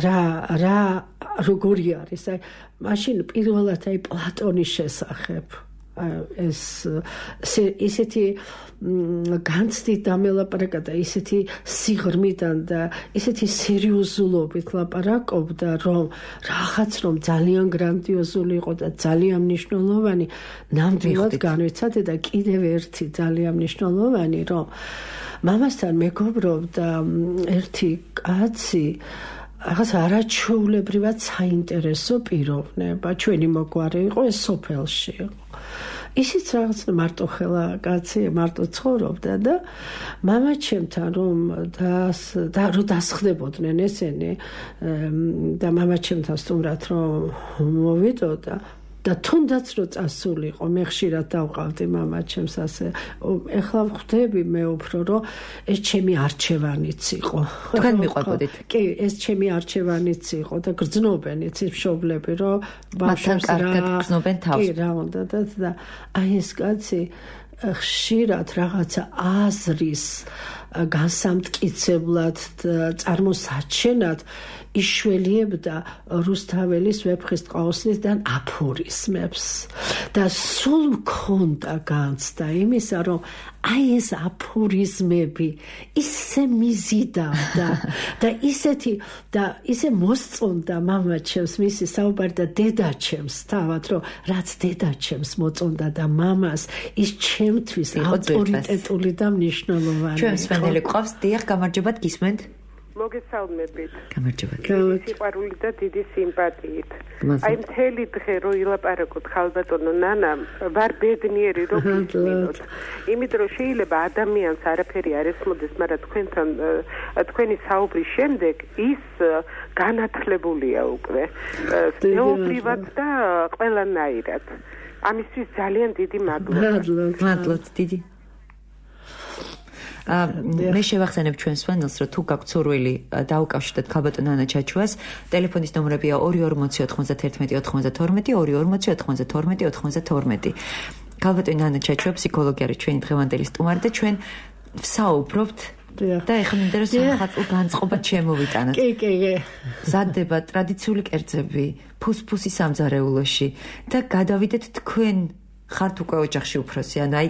რა რა როგორი არის. აი მაშინ პირველად აი პლატონის შესახებ ეს ისეთი განცდით დამელაპარაკა და ისეთი სიღრმიდან და ისეთი სერიოზულობით ლაპარაკობდა, რომ რაღაც რომ ძალიან გრანდიოზული იყო და ძალიან მნიშვნელოვანი, ნამდვილად განვიცადე და კიდევ ერთი ძალიან მნიშვნელოვანი, რომ მამასთან მეგობრობდა ერთი კაცი, რაღაც არაჩვეულებრივად საინტერესო პიროვნება, ჩვენი მოგვარე იყო, ეს სოფელში იყო. ისიც რაღაც მარტო ხელა კაცი, მარტო ცხოვრობდა და მამაჩემთან რომ და რომ დასხდებოდნენ ესენი და მამაჩემთან სტუმრად რომ მოვიდოდა და თუნდაც რომ წასულიყო, მე ხშირად დავყავდი მამაჩემს ასე. ეხლა ვხვდები მე უფრო რომ ეს ჩემი არჩევანიც იყო. თქვენ მიყვებოდით? კი, ეს ჩემი არჩევანიც იყო და გრძნობენ იცის მშობლები რომ ბავშვებს რა გრძნობენ თავს. კი, რა უნდა და და აი ეს კაცი ხშირად რაღაცა აზრის განსამტკიცებლად წარმოსაჩენად იშველიებდა რუსთაველის ვეფხისტყაოსნისგან აფორიზმებს და სულ მქონდა განცდა იმისა, რომ აი ეს აფორიზმები ისე მიზიდავდა და ისეთი და ისე მოსწონდა მამაჩემს მისი საუბარი და დედაჩემს თავად, რომ რაც დედაჩემს მოწონდა და მამას ის ჩემთვის ავტორიტეტული და მნიშვნელოვანი. ჩვენ სვენელი ყავს, დიახ, გამარჯობათ, გისმენთ? მოგესალმებით. გამარჯობათ. სიყვარული და დიდი სიმპათიით. აი მთელი დღე რო ილაპარაკოთ ხალბატონო ნანამ, ვარ ბედნიერი რო გისმინოთ. იმიტომ რომ შეიძლება ადამიანს არაფერი არ ესმოდეს, მაგრამ თქვენთან თქვენი საუბრის შემდეგ ის განათლებულია უკვე. ზეობრივად და ყველანაირად. ამისთვის ძალიან დიდი მადლობა. მადლობთ დიდი. მე შევახსენებ ჩვენ სვენელს, რომ თუ გაქვთ სურვილი დაუკავშირდეთ ქალბატონ ანა ჩაჩუას, ტელეფონის ნომრებია ორი ორი ორმოცი ოთხმოცდათერთმეტი ოთხმოცდათორმეტი, ორი ორი ორმოცი ოთხმოცდათორმეტი ოთხმოცდათორმეტი. ქალბატონ ანა ჩაჩუა ფსიქოლოგი არის ჩვენი დღევანდელი სტუმარი და ჩვენ ვსაუბრობთ და ეხლა მინდა რომ სახალხო განწყობა შემოვიტანოთ. კი, კი, კი. მზადდება ტრადიციული კერძები, ფუსფუსი სამზარეულოში და გადავიდეთ თქვენ ხართ უკვე ოჯახში უფროსი, ან აი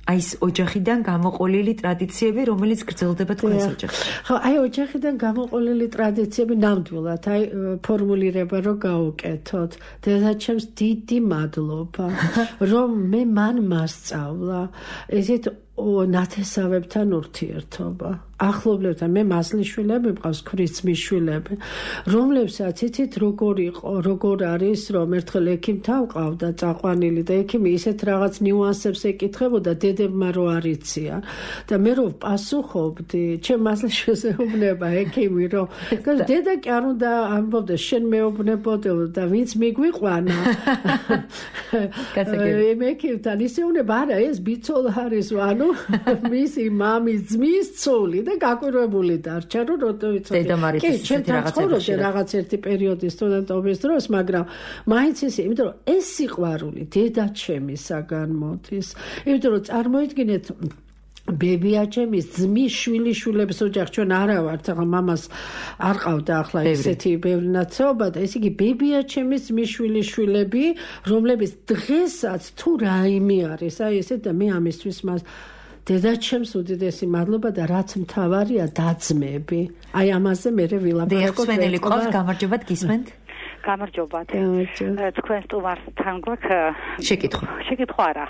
აი ეს ოჯახიდან გამოყოლილი ტრადიციები, რომელიც გრძელდება თქვენს ოჯახში. ხო, აი ოჯახიდან გამოყოლილი ტრადიციები ნამდვილად, აი ფორმულირება რო გავუკეთოთ. დედაჩემს დიდი მადლობა, რომ მე მან მასწავლა ესეთ ნათესავებთან ურთიერთობა. ახლობლებთან მე მასლიშვილები მყავს, ქრიცმის შვილები, რომლებსაც იცით როგორ იყო, როგორ არის, რომ ერთხელ ექიმთან ვყავდა წაყვანილი და ექიმი ისეთ რაღაც ნიუანსებს ეკითხებოდა დედებმა რო არიციან და მე რო პასუხობდი, ჩემ მასლიშვილს ეუბნება ექიმი, რომ დედა კი არ უნდა ამბობდა, შენ მეუბნებოდე და ვინც მიგვიყვანა. მე ექიმთან ისე უნება, არა, ეს ბიცოლა არის, ანუ მისი მამის ძმის ცოლი და გაკვირვებული დარჩა, რომ როდო იცოდი. კი, ჩემთან ცხოვრობდი რაღაც ერთი პერიოდი სტუდენტობის დროს, მაგრამ მაინც ისე, იმიტომ რომ ეს სიყვარული დედაჩემისაგან მოდის. იმიტომ რომ წარმოიდგინეთ ბებიაჩემის ძმის შვილიშვილების ოჯახი, ჩვენ არა ვართ, ახლა მამას არ ყავდა ახლა ესეთი ბევრი ნაცეობა და ესე იგი ბებიაჩემის ძმის შვილიშვილები, რომლებიც დღესაც თუ რაიმე არის, აი ესე და მე ამისთვის მას დედაჩემს უდიდესი მადლობა და რაც მთავარია დაძმები. აი ამაზე მე ვილაპარაკობ. დიახსვენელი ყავს, გამარჯობათ, გისმენთ? გამარჯობათ. თქვენ სტუმართან გვაქვს შეკითხვა. შეკითხვა არა.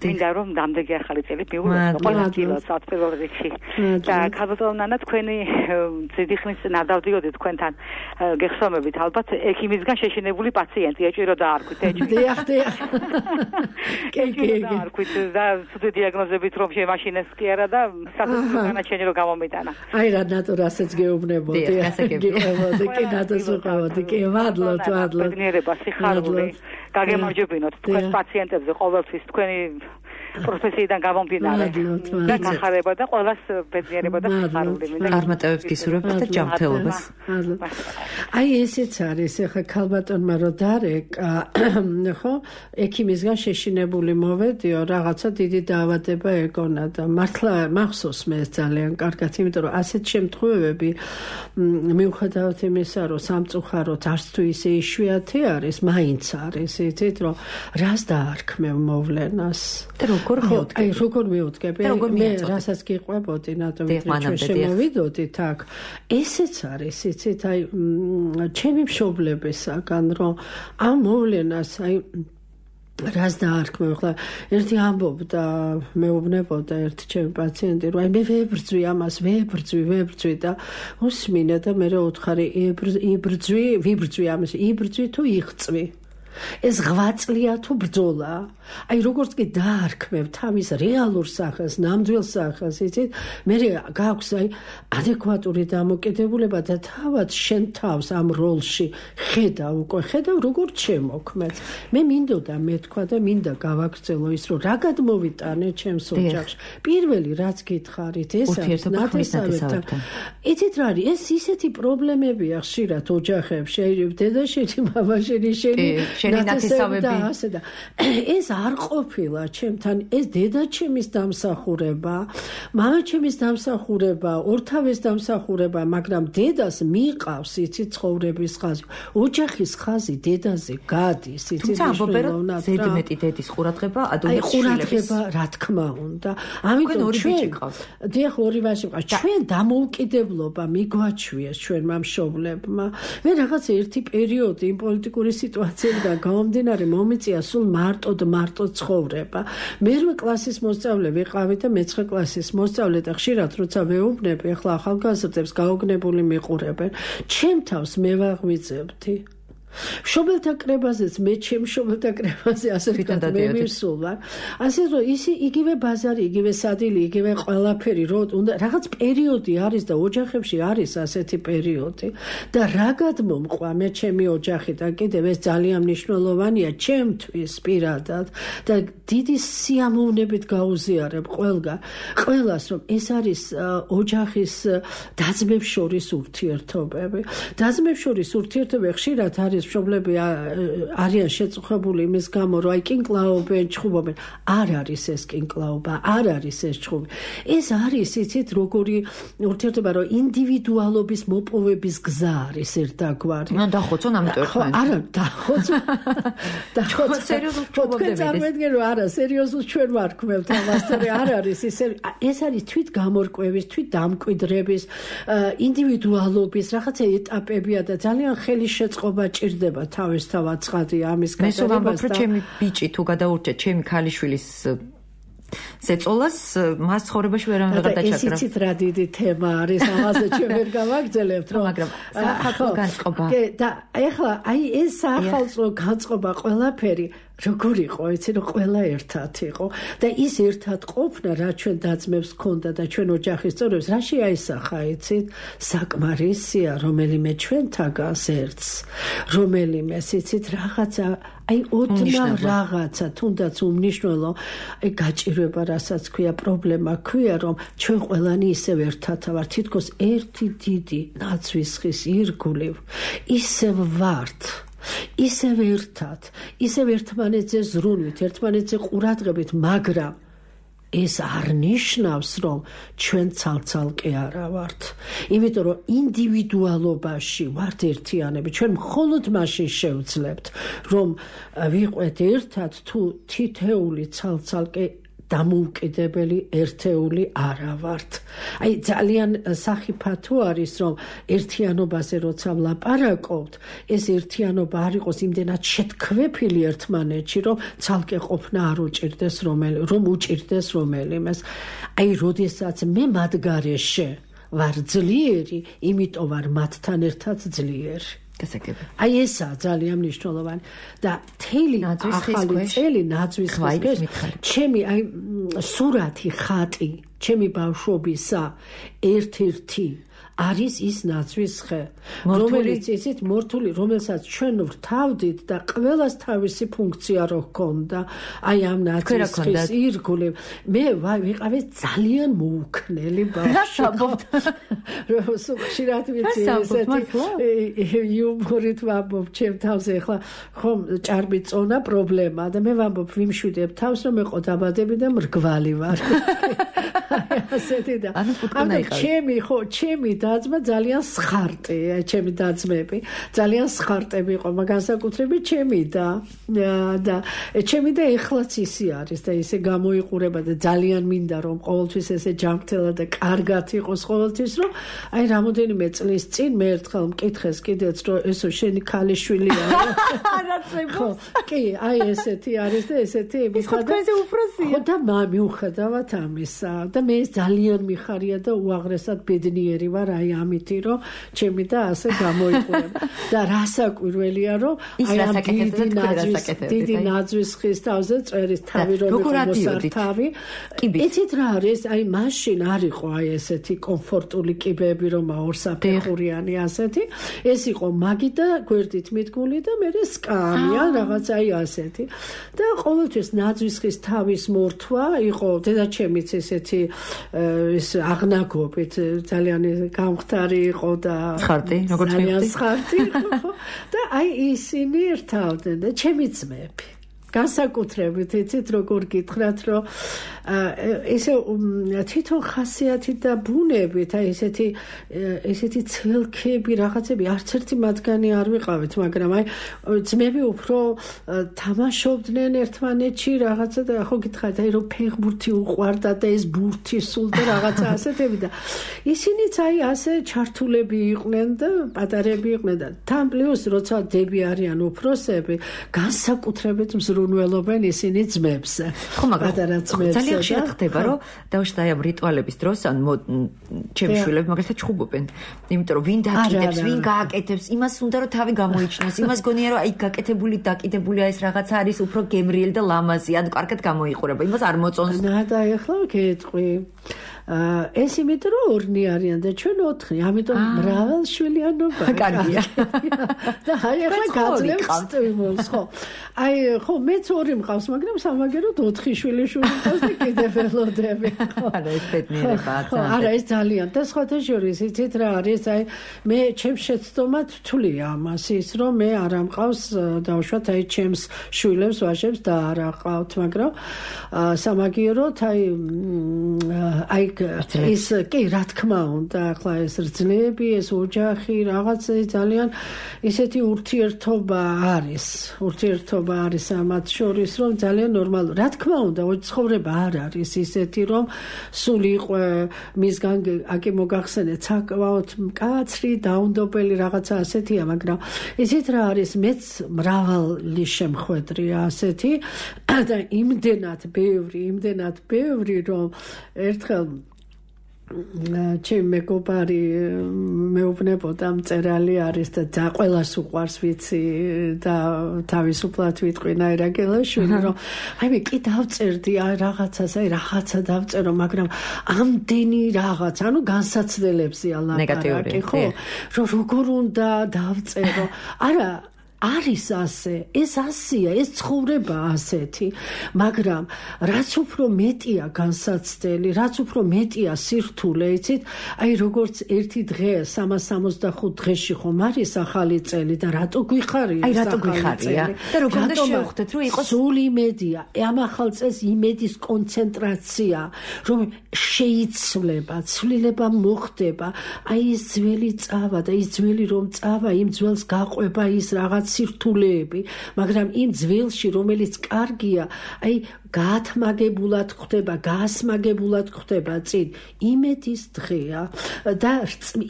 მინდა რომ დამდეგი ახალი წელი მიულოცო ყველა წილს პირველ რიგში. და ქალბატონო, თქვენი ძიდი ხნის წინ არ დავდიოდით თქვენთან გეხსოვებით, ალბათ ექიმისგან შეშინებული პაციენტი ეჭირო დაარქვით, ეჭირო. დიახ, დიახ. კი, კი, დაარქვით და ცუდი დიაგნოზებით რომ შემაშინეს კი არა და სასწრაფო განაჩენი რომ გამომიტანა. აი რა ნატურასაც გეუბნებოდი. გეუბნებოდი, კი ნატურასაც კი მადლობთ. ბედნიერება, სიხარული, გაგემარჯვებინოთ თქვენ პაციენტებზე ყოველთვის თქვენი პროფესიიდან გამომდინარე. და გახარება და ყველას ბედნიერება და სიხარული. წარმატებებს გისურვებთ და ჯანმრთელობას. აი ესეც არის, ახლა ქალბატონმა რო დარეკა, ხო, ექიმისგან შეშინებული მოვედიო, რაღაცა დიდი დაავადება ეგონა და მართლა მახსოვს მე ძალიან კარგად, იმიტომ რომ ასეთ შემთხვევები მიუხედავად იმისა, რომ სამწუხაროდ არც თუ ისე იშვიათი არის, მაინც არის, იცით, რომ რას დაარქმევ მოვლენას. და როგორ მივუდგები? აი, როგორ მივუდგები? მე რასაც გიყვებოდი, ნატო ვიდრე შემოვიდოდით აქ. ესეც არის, იცით, აი, ჩემი მშობლებისაგან, რომ ამ მოვლენას, აი, რას დაარქმევ, ხლა ერთი ამბობდა, მეუბნებოდა ერთი ჩემი პაციენტი, რომ აი მე ვებრძვი ამას, ვებრძვი, ვებრძვი და უსმინე და მე რა უთხარი, იბრძვი, ვიბრძვი ამას, იბრძვი თუ იღწვი. ეს ღვაწლია თუ ბრძოლა? აი როგორც კი დაარქმევ თავის რეალურ სახეს, ნამდვილ სახეს, იცით, მე გაქვს აი ადეკვატური დამოკიდებულება და თავად შენ თავს ამ როლში ხედავ, უკვე ხედავ როგორც შემოქმედს. მე მინდოდა მეთქვა და მინდა გავაგრძელო ის, რომ რა გადმოვიტანე ჩემს ოჯახში. პირველი რაც გითხარით, ეს არის ნათესავებთან. იცით რა არის? ეს ისეთი პრობლემებია ხშირად ოჯახებში, აი დედაშენი, მამაშენი, შენი ნათესავები და ეს არ ყოფილა ჩემთან, ეს დედაჩემის დამსახურება, მამაჩემის დამსახურება, ორთავეს დამსახურება, მაგრამ დედას მიყავს იცი ცხოვრების ხაზი, ოჯახის ხაზი დედაზე გადის, იცი. თუმცა ამბობენ, რომ ზედმეტი დედის ყურადღება ადვილად ყურადღება, რა თქმა უნდა. ამიტომ ჩვენ დიახ, ორი ვაჟი მყავს. ჩვენ დამოუკიდებლობა მიგვაჩვიეს ჩვენმა მშობლებმა. მე რაღაც ერთი პერიოდი იმ პოლიტიკური სიტუაციებიდან გამომდინარე მომიწია სულ მარტო და მარტო ცხოვრება. მერვე კლასის მოსწავლე ვიყავი და მეცხრე კლასის მოსწავლე და ხშირად როცა ვეუბნები, ახლა ახალგაზრდებს გაოგნებული მიყურებენ. ჩემ თავს მე ვაღვიძებდი. მშობელთა კრებაზეც მე ჩემ მშობელთა კრებაზე ასე ვთქვათ მე მივსულ ვარ. ასე რომ ისი იგივე ბაზარი, იგივე სადილი, იგივე ყველაფერი, რომ უნდა რაღაც პერიოდი არის და ოჯახებში არის ასეთი პერიოდი და რა გადმომყვა მე ჩემი ოჯახი და კიდევ ეს ძალიან მნიშვნელოვანია ჩემთვის პირადად და დიდი სიამოვნებით გაუზიარებ ყველგან ყველას, რომ ეს არის ოჯახის დაძმებს შორის ურთიერთობები. დაძმებს შორის ურთიერთობები ხშირად არის ხალხის მშობლები არიან შეწუხებული იმის გამო, რომ აი კინკლაობენ, ჩხუბობენ. არ არის ეს კინკლაობა, არ არის ეს ჩხუბი. ეს არის იცით როგორი ურთიერთობა, რომ ინდივიდუალობის მოპოვების გზა არის ერთგვარი. ნუ დახოცონ ამიტომ ერთმანეთს. არა, დახოცო. დახოცო სერიოზულ ჩხუბობდებით. წარმოიდგინე რომ არა, სერიოზულ ჩვენ ვარ ქმევთ ამას, თორე არ არის ეს ეს არის თვით გამორკვევის, თვით დამკვიდრების, ინდივიდუალობის რაღაცა ეტაპებია და ძალიან ხელი შეწყობა ჭირდება თავისთავად ცხადია ამის გაგებას. მე ვამბობ, რომ ჩემი ბიჭი თუ გადაურჩა ჩემი ქალიშვილის ზეწოლას მას ცხოვრებაში ვერავინ ვერ გადაჭაკრა. ეს იცით რა დიდი თემა არის, ამაზე ჩვენ ვერ გავაგრძელებთ, რომ მაგრამ საახალწლო განწყობა. და ეხლა აი ეს საახალწლო განწყობა ყველაფერი როგორ იყო, იცი რომ ყველა ერთად იყო და ის ერთად ყოფნა რა ჩვენ დაძმებს ქონდა და ჩვენ ოჯახის წევრებს რა შეაისახა, იცით? საკმარისია, რომელიმე ჩვენთაგანს ერთს, რომელიმე იცით რაღაცა აი ოდნავ რაღაცა თუნდაც უმნიშვნელო აი გაჭირვება რასაც ქვია პრობლემა ქვია რომ ჩვენ ყველანი ისევ ერთად ვართ თითქოს ერთი დიდი ნაცვის ხის ირგვლივ ისევ ვართ ისევ ერთად ისევ ერთმანეთზე ზრუნვით ერთმანეთზე ყურადღებით მაგრამ ეს არ ნიშნავს რომ ჩვენ ცალ-ცალკე არა ვართ იმიტომ რომ ინდივიდუალობაში ვართ ერთიანები ჩვენ მხოლოდ მაშინ შევძლებთ რომ ვიყვეთ ერთად თუ თითეული ცალ-ცალკე დამოუკიდებელი ერთეული არა ვართ. აი ძალიან სახიფათო არის რომ ერთიანობაზე როცა ვლაპარაკობთ, ეს ერთიანობა არ იყოს იმდენად შეთქვეფილი ერთმანეთში, რომ ცალკე ყოფნა არ უჭირდეს რომელი, რომ უჭირდეს რომელიმეს. აი როდესაც მე მათ გარეშე ვარ ძლიერი, იმიტომ ვარ მათთან ერთად ძლიერი. აი ესაა ძალიან მნიშვნელოვანი და თელი ახალი წელი ნაძვის ხის ჩემი აი სურათი ხატი ჩემი ბავშვობისა ერთ-ერთი არის ის ნაძვის ხე რომელიც ისეთ მორთული რომელსაც ჩვენ ვრთავდით და ყველას თავისი ფუნქცია რო ჰქონდა აი ამ ნაძვის ხის ირგვლივ მე ვიყავი ძალიან მოუქნელი ბავშვი რო ხშირად ვიცი ესეთი იუმორით ვამბობ ჩემ თავზე ახლა ხომ ჭარბი წონა პრობლემა და მე ვამბობ ვიმშვიდებ თავს რომ მეყო დაბადები და მრგვალი ვარ ასეთი და ანუ ჩემი ხო ჩემი დაძმა ძალიან სხარტი ჩემი დაძმები ძალიან სხარტები იყო განსაკუთრებით ჩემი და და ჩემი და ეხლაც ისე არის და ისე გამოიყურება და ძალიან მინდა რომ ყოველთვის ესე ჯანმრთელად და კარგად იყოს ყოველთვის რომ აი რამოდენიმე წლის წინ მე ერთხელ მკითხეს კიდეც რომ ესო შენი ქალიშვილია არაცებო კი აი ესეთი არის და ესეთი მიხადა ხო და მიუხედავად ამისა და მე ძალიან მიხარია და უაღრესად ბედნიერი ვარ აი ამითი რომ ჩემი და ასე გამოიყურება და რასაკვირველია რომ აი ამ დიდი ნაძვის დიდი ნაძვის ხის თავზე წერის თავი რომ მოსართავი იცით რა არის აი მაშინ არ იყო აი ესეთი კომფორტული კიბეები რომ ორსაფეხურიანი ასეთი ეს იყო მაგი და გვერდით მიდგმული და მე სკამი ან რაღაც აი ასეთი და ყოველთვის ნაძვის ხის თავის მორთვა იყო დედაჩემიც ესეთი ეს აღნაგობით ძალიან გამხდარი იყო და ხარტი როგორც მივხვდი ხარტი იყო და აი ისინი ერთავდნენ და ჩემი ძმები განსაკუთრებით იცით როგორ გითხრათ რომ ესე თვითონ ხასიათი და ბუნებით აი ესეთი ესეთი ცელქები რაღაცები არც ერთი მათგანი არ ვიყავით მაგრამ აი ძმები უფრო თამაშობდნენ ერთმანეთში რაღაცა და ხო გითხარით აი რომ ფეხბურთი უყვარდა და ეს ბურთი სულ და რაღაცა ასეთები და ისინიც აი ასე ჩართულები იყვნენ და პატარები იყვნენ და თან პლუს როცა დები არიან უფროსები განსაკუთრებით მზრუნველობენ ისინი ძმებზე ხო მაგრამ ძალიან ხშირად ხდება რომ დავშთა აი ამ რიტუალების დროს ან ჩემი შვილები მაგალითად ჩხუბობენ იმიტომ რომ ვინ დაკიდებს ვინ გააკეთებს იმას უნდა რომ თავი გამოიჩნოს იმას გონია რომ აი გაკეთებული დაკიდებულია ეს რაღაცა არის უფრო გემრიელი და ლამაზი ან კარგად გამოიყურება იმას არ მოწონს და ეხლა გეტყვი ეს იმიტომ რომ ორნი არიან და ჩვენ ოთხი, ამიტომ მრავალშვილიანობა კარგია. და აი ახლა გაძლევს სტიმულს, ხო. აი ხო მეც ორი მყავს, მაგრამ სამაგეროდ ოთხი შვილი შვილი მყავს და კიდე ველოდები. არა ეს ბედნიერებაა. არა ეს ძალიან და სხვათა შორის იცით რა არის, აი მე ჩემს შეცდომად ვთვლია ამას ის რომ მე არ ამყავს დავუშვათ აი ჩემს შვილებს ვაჟებს და არ აყავთ, მაგრამ სამაგიეროდ აი აი ის კი რა თქმა უნდა ახლა ეს რძლები ეს ოჯახი რაღაცა ძალიან ისეთი ურთიერთობა არის ურთიერთობა არის ამათ შორის რომ ძალიან ნორმალურ რა თქმა უნდა ცხოვრება არ არის ისეთი რომ სულ იყო მისგან აკი მოგახსენეთ საკმაოდ მკაცრი დაუნდობელი რაღაცა ასეთია მაგრამ ისეთ რა არის მეც მრავალი შემხვედრია ასეთი და იმდენად ბევრი იმდენად ბევრი რომ ერთხელ ჩემ მეგობარი მეუბნებოდა მწერალი არის და და ყველას უყვარს ვიცი და თავისუფლად ვიტყვინა ერაგელაშვილი რომ აი მე კი დავწერდი აი რაღაცას აი რაღაცა დავწერო მაგრამ ამდენი რაღაც ანუ განსაცდელებზია ლაპარაკი ხო რომ როგორ უნდა დავწერო არა არის ასე, ეს ასეა, ეს ცხოვრება ასეთი, მაგრამ რაც უფრო მეტია განსაცდელი, რაც უფრო მეტია სირთულე, იცით, აი როგორც ერთი დღე სამას სამოცდახუთ დღეში ხომ არის ახალი წელი და რატო გვიხარია? აი რატო გვიხარია? და როგორ უნდა შევხვდეთ, რომ იყოს სულ იმედია, ამ ახალ წელს იმედის კონცენტრაცია, რომ შეიცვლება, ცვლილება მოხდება, აი ეს ძველი წავა და ის ძველი რომ წავა, იმ ძველს გაყვება ის რაღაც სირთულეები, მაგრამ იმ ძველში, რომელიც კარგია, აი გაათმაგებულად ხდება, გაასმაგებულად ხდება წინ. იმედის დღეა და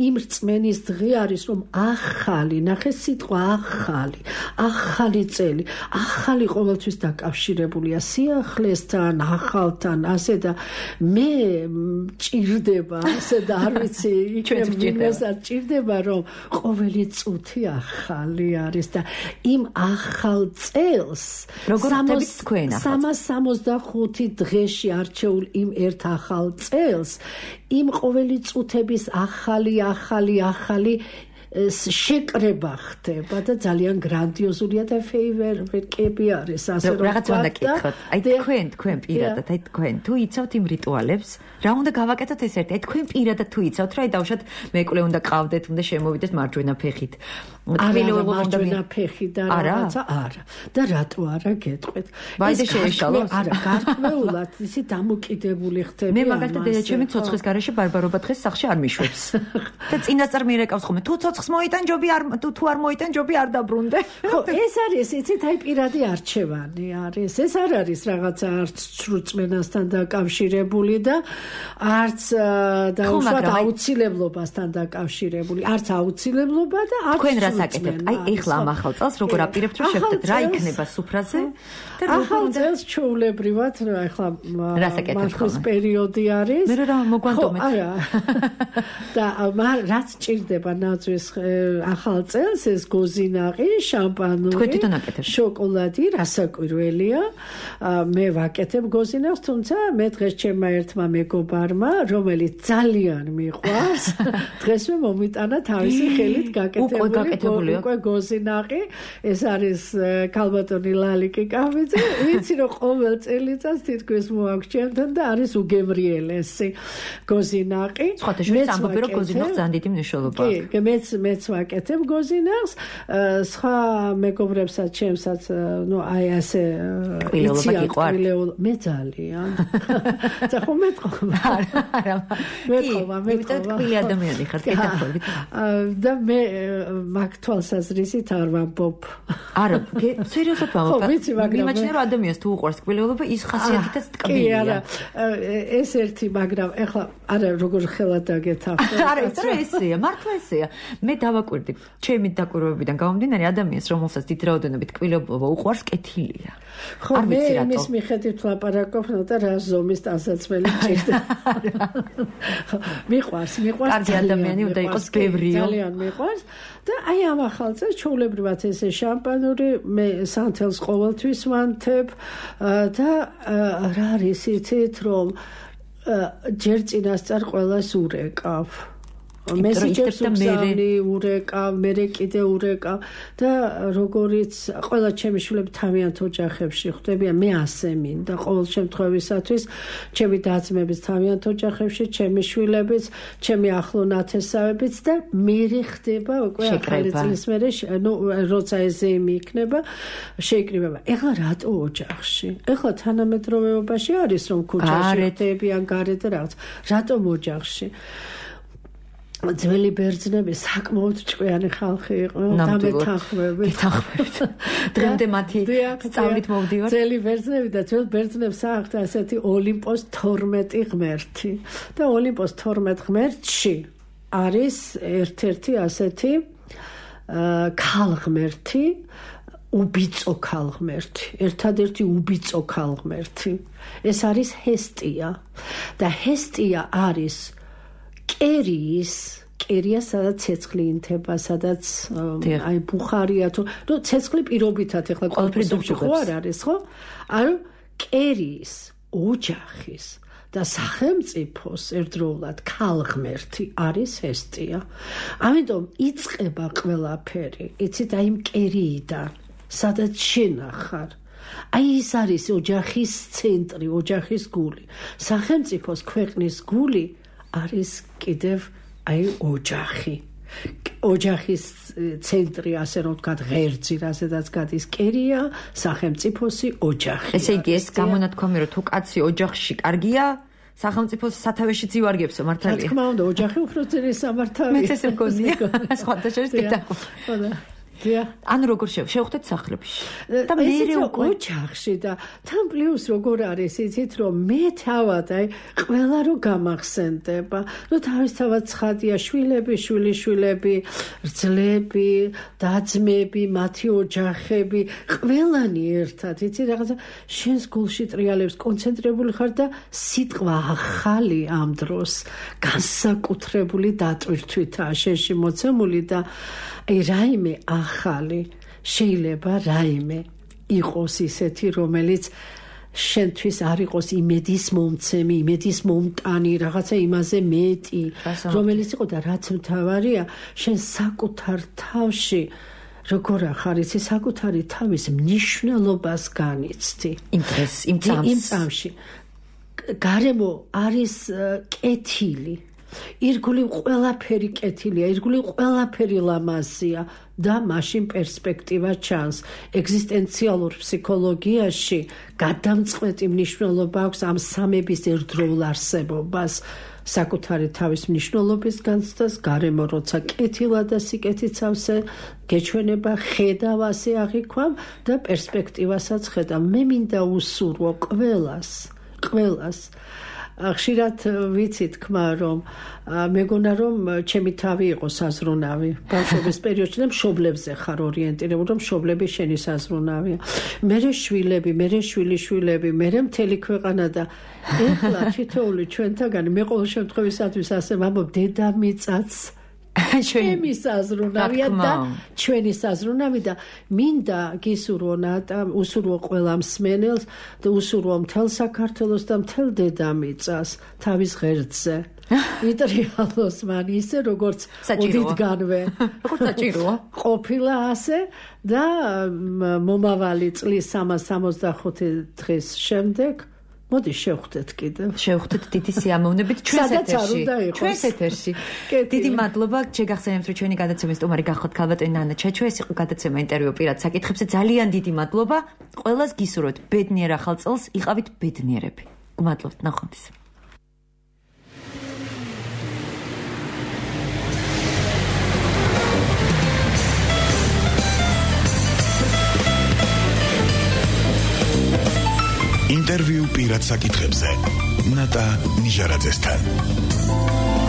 იმ რწმენის დღე არის, რომ ახალი, ნახე სიტყვა ახალი, ახალი წელი, ახალი ყოველთვის დაკავშირებულია სიახლესთან, ახალთან, ასე და მე ჭირდება, ასე და არ ვიცი, იქნებოდეს ჭირდება, რომ ყოველი წუთი ახალი არის და იმ ახალ წელს როგორ ხდებით თქვენ ახალ სამას სამოცდახუთი დღეში არჩეულ იმ ერთ ახალ წელს იმ ყოველი წუთების ახალი ახალი ახალი შეკრება ხდება და ძალიან გრანდიოზულია და ფეივერვერკები არის ასე რომ რაღაც უნდა გკითხოთ აი თქვენ თქვენ პირადად აი თქვენ თუ იცავთ იმ რიტუალებს რა უნდა გავაკეთოთ ეს ერთი აი თქვენ პირადად თუ იცავთ რა აი დავშოთ მეკლე უნდა ყავდეთ უნდა შემოვიდეთ მარჯვენა ფეხით არა მარჯვენა ფეხი და რაღაცა არა და რატო არა გეტყვით ვაიდე შეეშალოს არა გარკვეულად ისი დამოკიდებული ხდება მე მაგალითად დედაჩემი ცოცხლის გარეშე ბარბარობა დღეს სახლში არ მიშვებს და წინასწარ მირეკავს ხოლმე თუ ცოცხლს მოიტან ჯობი არ თუ არ მოიტან ჯობი არ დაბრუნდე ხო ეს არის იცით აი პირადი არჩევანი არის ეს არ არის რაღაცა არც სრულწმენასთან დაკავშირებული და არც დაუშვათ აუცილებლობასთან დაკავშირებული არც აუცილებლობა და არც თქვენ რას აკეთებთ აი ეხლა ამ ახალ წელს როგორ აპირებთ რომ შევხვდეთ რა იქნება სუფრაზე და ახალ წელს ჩაულებრივად ეხლა მართლის პერიოდი არის მე რა მოგვანტომეთ არა და რაც ჭირდება ნაძვის ახალ წელს ეს გოზინაღი შამპანური შოკოლადი რასაკვირველია მე ვაკეთებ გოზინაღს თუმცა მე დღეს ჩემმა ერთმა მეგობარმა რომელიც ძალიან მიყვარს დღეს მე მომიტანა თავისი ხელით გაკეთებული უკვე გოზინაღი ეს არის ქალბატონი ლალიკი კავიძე ვიცი რომ ყოველ წელიწადს თითქოს მოაგვჭენთან და არის უგემრიელესი გოზინაღი სხვათა შორის ამბობენ რომ გოზინაღს ძალიან დიდი მნიშვნელობა აქვს კი მეც მეც ვაკეთებ გოზინაღს სხვა მეგობრებსაც ჩემსაც ნუ აი ასე ყვილეობა გიყვართ მე ძალიან და ხომ მეტყობა არა მეტყობა მეტყობა ყვილი ადამიანი ხარ კეთილობით და მე მაგ თვალსაზრისით არ ვამბობ არა სერიოზულად ვამბობ ვიცი მაგრამ იმაჩნე რომ ადამიანს თუ უყვარს ყვილეობა ის ხასიათითაც ტკბილია კი არა ეს ერთი მაგრამ ეხლა არა როგორ ხელად დაგეთახო არა ეს რა ესეა მართლა ესეა მე დავაკვირდი ჩემი დაკვირვებიდან გამომდინარე ადამიანს რომელსაც დიდ რაოდენობით ყვილეობა უყვარს კეთილია ხო მე იმის მიხედვით ვლაპარაკობ და რა ზომის ტანსაცმელი ჭირდება მიყვარს მიყვარს კარგი ადამიანი უნდა იყოს გევრიო ძალიან მიყვარს და აი ამ ახალ წელს ჩაულებრივად ესე შამპანური მე სანთელს ყოველთვის ვანთებ და რა არის იცით რომ ჯერ წინასწარ ყველას ურეკავ. მესიჯებს უგზავნი, ურეკავ, მერე კიდე ურეკავ და როგორიც ყველა ჩემი შვილები თავიანთ ოჯახებში ხვდებიან, მე ასე მინდა ყოველ შემთხვევისათვის ჩემი და-ძმებიც თავიანთ ოჯახებში, ჩემი შვილებიც, ჩემი ახლო ნათესავებიც და მერე ხდება უკვე ახალი წლის მერე, ნუ როცა ეზეიმი იქნება, შეიკრიბება. ეხლა რატო ოჯახში? ეხლა თანამედროვეობაში არის რომ ქუჩაში ხდებიან გარეთ რაღაც. რატომ ოჯახში? ძველი ბერძნები საკმაოდ ჭკვიანი ხალხი იყვნენ და მეთანხმებით. დღემდე მათი სწავლით მოვდივარ. ძველი ბერძნები და ძველ ბერძნებს აქვთ ასეთი ოლიმპოს თორმეტი ღმერთი. და ოლიმპოს თორმეტ ღმერთში არის ერთ-ერთი ასეთი ქალღმერთი, უბიწო ქალღმერთი, ერთადერთი უბიწო ქალღმერთი. ეს არის ჰესტია. და ჰესტია არის კერიის, კერია სადაც ცეცხლი ინთება, სადაც აი ბუხარია თუ ნუ ცეცხლი პირობითად ეხლა ყველაფერი ხო არ არის, ხო? ანუ კერიის, ოჯახის და სახელმწიფოს ერთდროულად ქალღმერთი არის ჰესტია. ამიტომ იწყება ყველაფერი, იცით, აი კერიიდან, სადაც შენ ახარ. აი ის არის ოჯახის ცენტრი, ოჯახის გული. სახელმწიფოს ქვეყნის გული არის კიდევ აი ოჯახი. ოჯახის ცენტრი, ასე რომ ვთქვათ, ღერძი, რასაც გადის კერია, სახელმწიფოსი ოჯახი. ესე იგი, ეს გამონათქვამი, რომ თუ კაცი ოჯახში კარგია, სახელმწიფოს სათავეშიც ივარგებსო, მართალია. რა თქმა უნდა, ოჯახი უფრო ძლიერი სამართავია. მეც ესე მგონია. სხვათა შორის კიდევ. ანუ როგორ შევხვდეთ სახლებში და მე უკვე ოჯახში და თან პლუს როგორ არის იცით რომ მე თავად აი ყველა რო გამახსენდება ნუ თავისთავად ცხადია შვილები შვილიშვილები რძლები და-ძმები მათი ოჯახები ყველანი ერთად იცი რაღაცა შენს გულში ტრიალებს კონცენტრირებული ხარ და სიტყვა ახალი ამ დროს განსაკუთრებული დატვირთვითაა შენში მოცემული და აი რაიმე ახალი შეიძლება რაიმე იყოს ისეთი რომელიც შენთვის არ იყოს იმედის მომცემი, იმედის მომტანი, რაღაცა იმაზე მეტი, რომელიც იყო და რაც მთავარია, შენ საკუთარ თავში როგორ ახარ იცი საკუთარი თავის მნიშვნელობას განიცდი. იმ დღეს, იმ წამს. იმ წამში. გარემო არის კეთილი. ირგვლივ ყველაფერი კეთილია, ირგვლივ ყველაფერი ლამაზია და მაშინ პერსპექტივა ჩანს. ეგზისტენციალურ ფსიქოლოგიაში გადამწყვეტი მნიშვნელობა აქვს ამ სამების ერთდროულ არსებობას, საკუთარი თავის მნიშვნელობის განცდას, გარემო როცა კეთილა და სიკეთიცავსე გეჩვენება, ხედავ ასე აღიქვამ და პერსპექტივასაც ხედავ. მე მინდა უსურვო ყველას, ყველას ხშირად ვიცი თქმა რომ მეგონა რომ ჩემი თავი იყო საზრუნავი ბავშვობის პერიოდში და მშობლებზე ხარ ორიენტირებული რომ მშობლები შენი საზრუნავია მერე შვილები მერე შვილიშვილები მერე მთელი ქვეყანა და ეხლა თითოეული ჩვენთაგანი მე ყოველ შემთხვევისათვის ასე ვამბობ დედამიწაც ჩვენი საზრუნავია და ჩვენი საზრუნავი და მინდა გისურვო ნატა უსურვო ყველა მსმენელს და უსურვო მთელ საქართველოს და მთელ დედამიწას თავის ღერძზე იტრიალოს მან ისე როგორც ოდითგანვე როგორც საჭიროა ყოფილა ასე და მომავალი წლის სამას სამოცდახუთი დღის შემდეგ მოდი შევხვდეთ კიდევ. შევხვდეთ დიდი სიამოვნებით ჩვენს ეთერში. ჩვენს ეთერში. დიდი მადლობა, შეგახსენებთ რომ ჩვენი გადაცემის სტუმარი გახოთ ქალბატონი ნანა ჩაჩო, ეს იყო გადაცემა ინტერვიუ პირად საკითხებზე. ძალიან დიდი მადლობა. ყველას გისურვებთ ბედნიერ ახალ წელს, იყავით ბედნიერები. გმადლობთ, ნახვამდის. ინტერვიუ პირად საკითხებზე ნატა ნიჟარაძესთან.